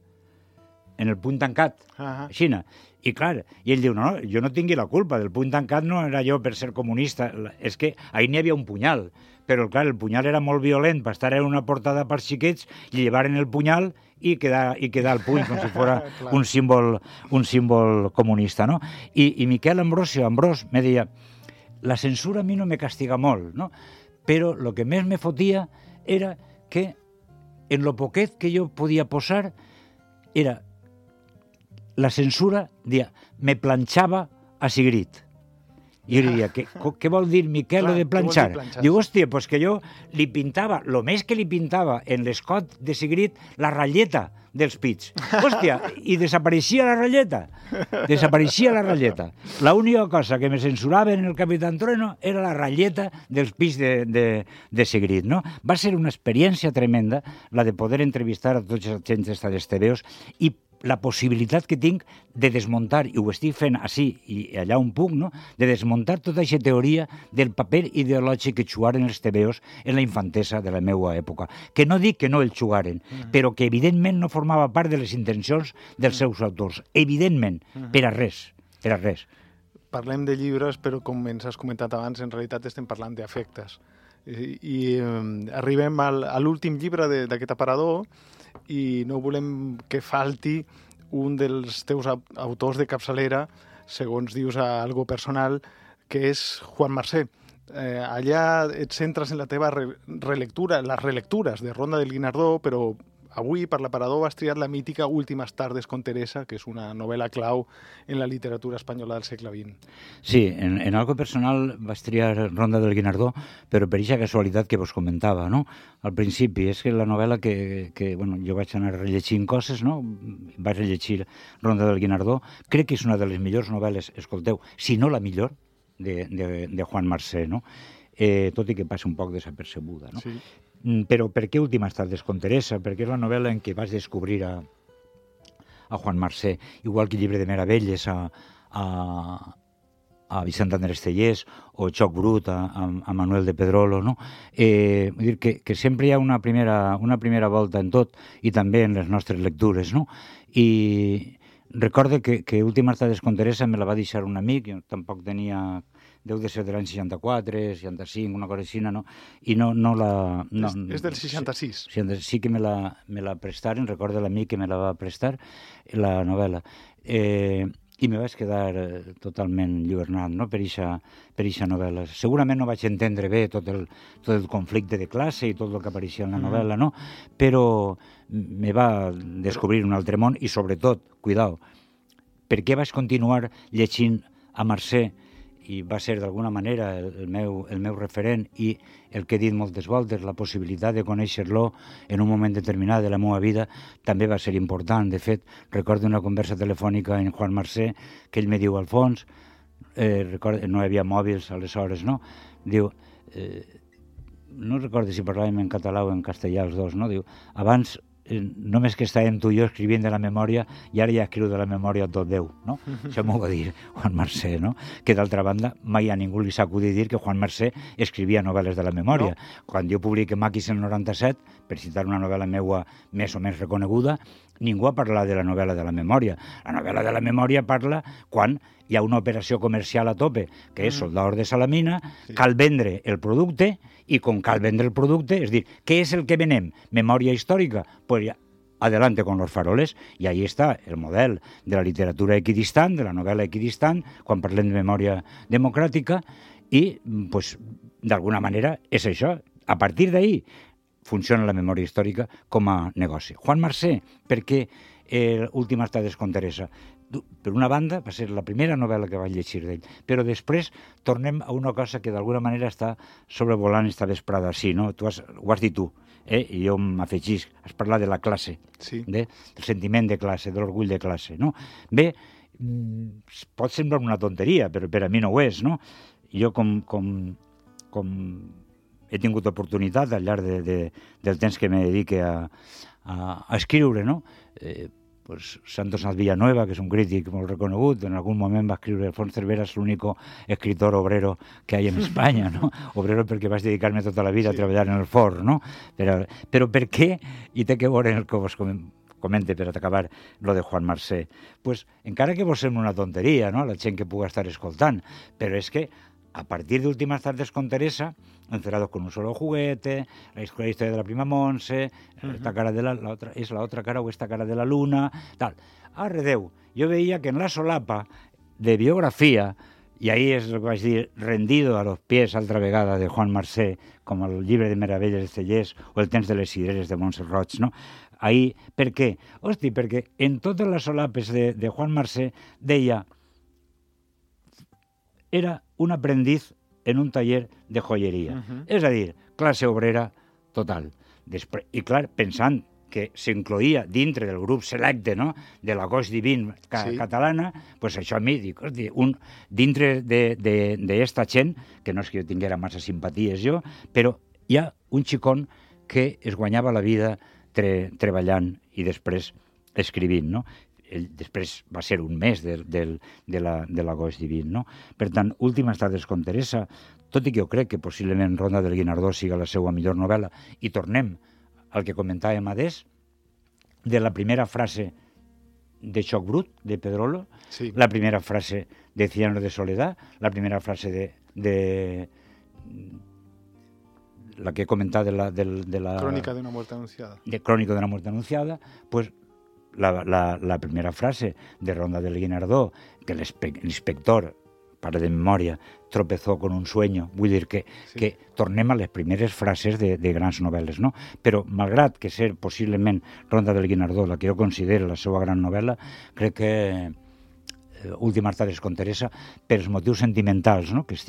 tancat, aixina. I, clar, i ell diu, no, jo no tingui la culpa, del puny tancat no era jo per ser comunista, és que ahir n'hi havia un punyal, però, clar, el punyal era molt violent per estar en una portada per xiquets, llevaren el punyal i quedar el puny com si fos un símbol comunista, no? I Miquel Ambrós me deia, la censura a mi no me castiga molt, no? Però el que més me fotia era que en lo poquet que jo podia posar era la censura, me planxava a Sigrid. I jo diria, què vol dir, Miquel, de planxar? Diu, hòstia, doncs que jo li pintava, el més que li pintava en l'escot de Sigrid, la ratlleta dels pits. Hòstia, i desapareixia la ratlleta. L'única cosa que me censurava en el Capitán Trueno era la ratlleta dels pits de Sigrid, no? Va ser una experiència tremenda la de poder entrevistar a tots els gens dels tebeos i la possibilitat que tinc de desmuntar, i ho estic fent així i allà on puc, no? De desmuntar tota aquesta teoria del paper ideològic que jugaren els tebeos en la infantesa de la meva època. Que no dic que no el jugaren, però que evidentment no formava part de les intencions dels seus autors. Evidentment, per a res. Parlem de llibres, però com ens has comentat abans, en realitat estem parlant d'afectes. I arribem a l'últim llibre d'aquest aparador, i no volem que falti un dels teus autors de capçalera, segons dius a algo personal, que és Juan Marsé. Allà et centres en la teva relectura, les relectures de Ronda del Guinardó, però avui per l'aparador vas triar la mítica Últimes tardes con Teresa, que és una novel·la clau en la literatura espanyola del segle XX. Sí, en algo personal vaig triar Ronda del Guinardó, però per aquesta casualitat que vos comentava, no? Al principi, és que la novel·la que bueno, jo vaig anar rellegint coses, no? Vaig rellegir Ronda del Guinardó, crec que és una de les millors novel·les, escolteu, si no la millor, de Juan Marsé, no? Tot i que passa un poc desapercebuda, no? Sí. Però per què Últimes tardes con Teresa? Perquè és la novel·la en què vaig descobrir a Juan Marsé, igual que Llibre de meravelles a a Vicent Andrés Cellers o Xoc Brut a Manuel de Pedrolo, no? Vull dir que sempre hi ha una primera volta en tot i també en les nostres lectures, no? I recorde que Última Tardes con Teresa me la va deixar un amic, jo tampoc tenia... deu de ser de l'any 64, 65, una cosa així, no? I no la... No, és del 66. Sí que me la prestaren, recordo l'amic que me la va prestar, la novel·la. I me vaig quedar totalment llibernat, no?, per eixa novel·la. Segurament no vaig entendre bé tot el conflicte de classe i tot el que apareixia en la novel·la, no? Però me va descobrir un altre món i, sobretot, cuidao, per què vaig continuar llegint a Mercè i va ser d'alguna manera el meu referent i el que he dit moltes voltes, la possibilitat de conèixer-lo en un moment determinat de la meva vida també va ser important. De fet, recordo una conversa telefònica en Juan Mercè que ell me diu, Alfons, no hi havia mòbils aleshores, no? Diu, no recordo si parlàvem en català o en castellà els dos, no? Diu, abans només que estàvem tu i jo escrivint de la memòria i ara ja escriu de la memòria tot Déu, no? Això m'ho va dir Juan Mercè, no? Que d'altra banda mai a ningú li s'acudi dir que Juan Mercè escrivia novel·les de la memòria. No. Quan jo publiqué Maquis en el 97, per citar una novel·la meua més o menys reconeguda, ningú ha parlat de la novel·la de la memòria. La novel·la de la memòria parla quan hi ha una operació comercial a tope, que és soldador de Salamina, cal vendre el producte, i com cal vendre el producte, és dir, què és el que venem? Memòria històrica? Pues ja, adelante con los faroles, i ahí està el model de la literatura equidistant, de la novel·la equidistant, quan parlem de memòria democràtica, i, pues, d'alguna manera, és això. A partir d'ahí funciona la memòria històrica com a negoci. Juan Mercè, perquè Última Tardes con Teresa, per una banda, va ser la primera novel·la que vaig llegir d'ell, però després tornem a una cosa que d'alguna manera està sobrevolant esta vesprada. Sí, no? Ho has dit tu, i jo m'afegís, has parlat de la classe, del sentiment de classe, de l'orgull de classe, no? Bé, pot semblar una tonteria, però per a mi no ho és, no? Jo com he tingut oportunitat al llarg del temps que me dedique a escriure, no? Pues Santos Villanueva, que és un crític molt reconegut, en algun moment va escriure Alfons Cervera és l'únic escritor obrero que hi ha en Espanya, no? Obrero perquè vaig dedicar-me tota la vida a treballar en el forn, no? Però per què? I té que veure el que vos comente per acabar lo de Juan Mercè. Pues encara que vos sembla una tonteria, no?, la gent que puga estar escoltant, però és que a partir de Últimas Tardes con Teresa, Encerrados con un solo juguete, la historia de la prima Montse, esta cara de la otra, és la otra cara o esta cara de la luna, tal. Arredeu, jo veia que en la solapa de biografia, i ahí és el que vaig dir, rendido a los pies altra vegada de Juan Mercè, com el llibre de meravelles de Cellers o el temps de les cireres de Montse Roig, no? Ahí, per què? Hosti, perquè en totes les solapes de Juan Mercè deia era un aprendiz en un taller de joieria. És a dir, classe obrera total. I clar, pensant que s'incloïa dintre del grup selecte, no?, de la Goix Divin catalana, pues això a mi, dic, hosti, dintre d'esta gent, que no és que jo tinguera massa simpaties jo, però hi ha un xicón que es guanyava la vida treballant i després escrivint, no? Després va ser un mes de la Goix Divin, no? Per tant, Últimes Tardes con Teresa, tot i que jo crec que possiblement Ronda del Guinardó siga la seva millor novel·la, i tornem al que comentàvem adés, de la primera frase de Xoc Brut, de Pedrolo, la primera frase de Cien años de soledad, la primera frase de la que he comentat de la... Crònica d'una muerte anunciada. De Crònica d'una muerte anunciada, pues la primera frase de Ronda del Guinardó, que l'inspector, para de memòria, tropezó con un sueño. Vull dir que tornem a les primeres frases de grans novel·les, no? Però, malgrat que ser possiblement Ronda del Guinardó la que jo considero la seva gran novel·la, crec que Últimes Tardes con Teresa, per els motius sentimentals, no?, dels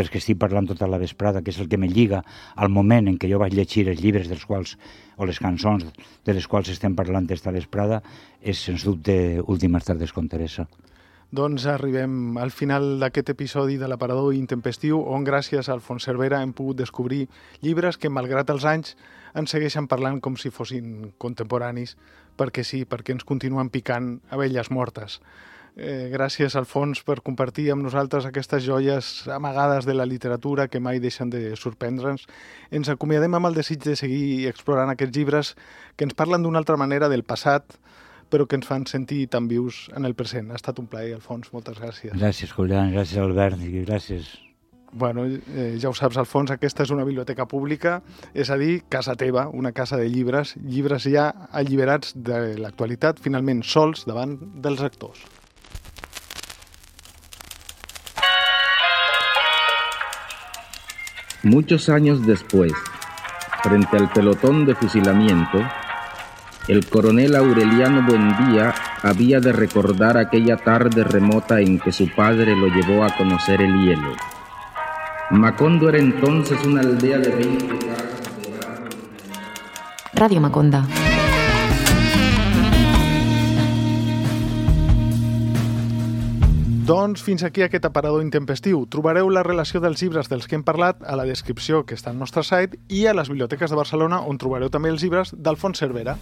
que estic parlant tota la vesprada, que és el que me lliga al moment en què jo vaig llegir els llibres dels quals, o les cançons de les quals estem parlant esta vesprada, és, sens dubte, Últimes Tardes con Teresa. Doncs arribem al final d'aquest episodi de l'Aparador Intempestiu, on gràcies a Alfons Cervera hem pogut descobrir llibres que, malgrat els anys, ens segueixen parlant com si fossin contemporanis, perquè sí, perquè ens continuen picant abelles mortes. Gràcies, Alfons, per compartir amb nosaltres aquestes joies amagades de la literatura que mai deixen de sorprendre'ns. Ens acomiadem amb el desig de seguir explorant aquests llibres que ens parlen d'una altra manera del passat, però que ens fan sentir tan vius en el present. Ha estat un plaer, Alfons, moltes gràcies. Gràcies, Julián, gràcies, Albert, i gràcies. Bueno, ja ho saps, Alfons, aquesta és una biblioteca pública, és a dir, casa teva, una casa de llibres, llibres ja alliberats de l'actualitat, finalment sols davant dels lectors. Muchos años después, frente al pelotón de fusilamiento, el coronel Aureliano Buendía había de recordar aquella tarde remota en que su padre lo llevó a conocer el hielo. Macondo era entonces una aldea de 20 casas de barro. Radio Maconda. Doncs fins aquí aquest aparador intempestiu. Trobareu la relació dels llibres dels que hem parlat a la descripció que està al nostre site i a les biblioteques de Barcelona, on trobareu també els llibres d'Alfons Cervera.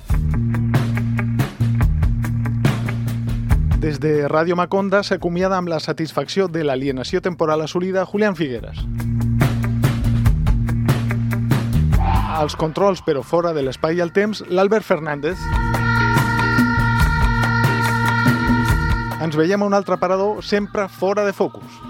Des de Ràdio Maconda s'acomiada amb la satisfacció de l'alienació temporal assolida Julián Figueras. Als controls, però fora de l'espai i el temps, l'Albert Fernández. Ens veiem a un altre aparador, sempre fora de focus.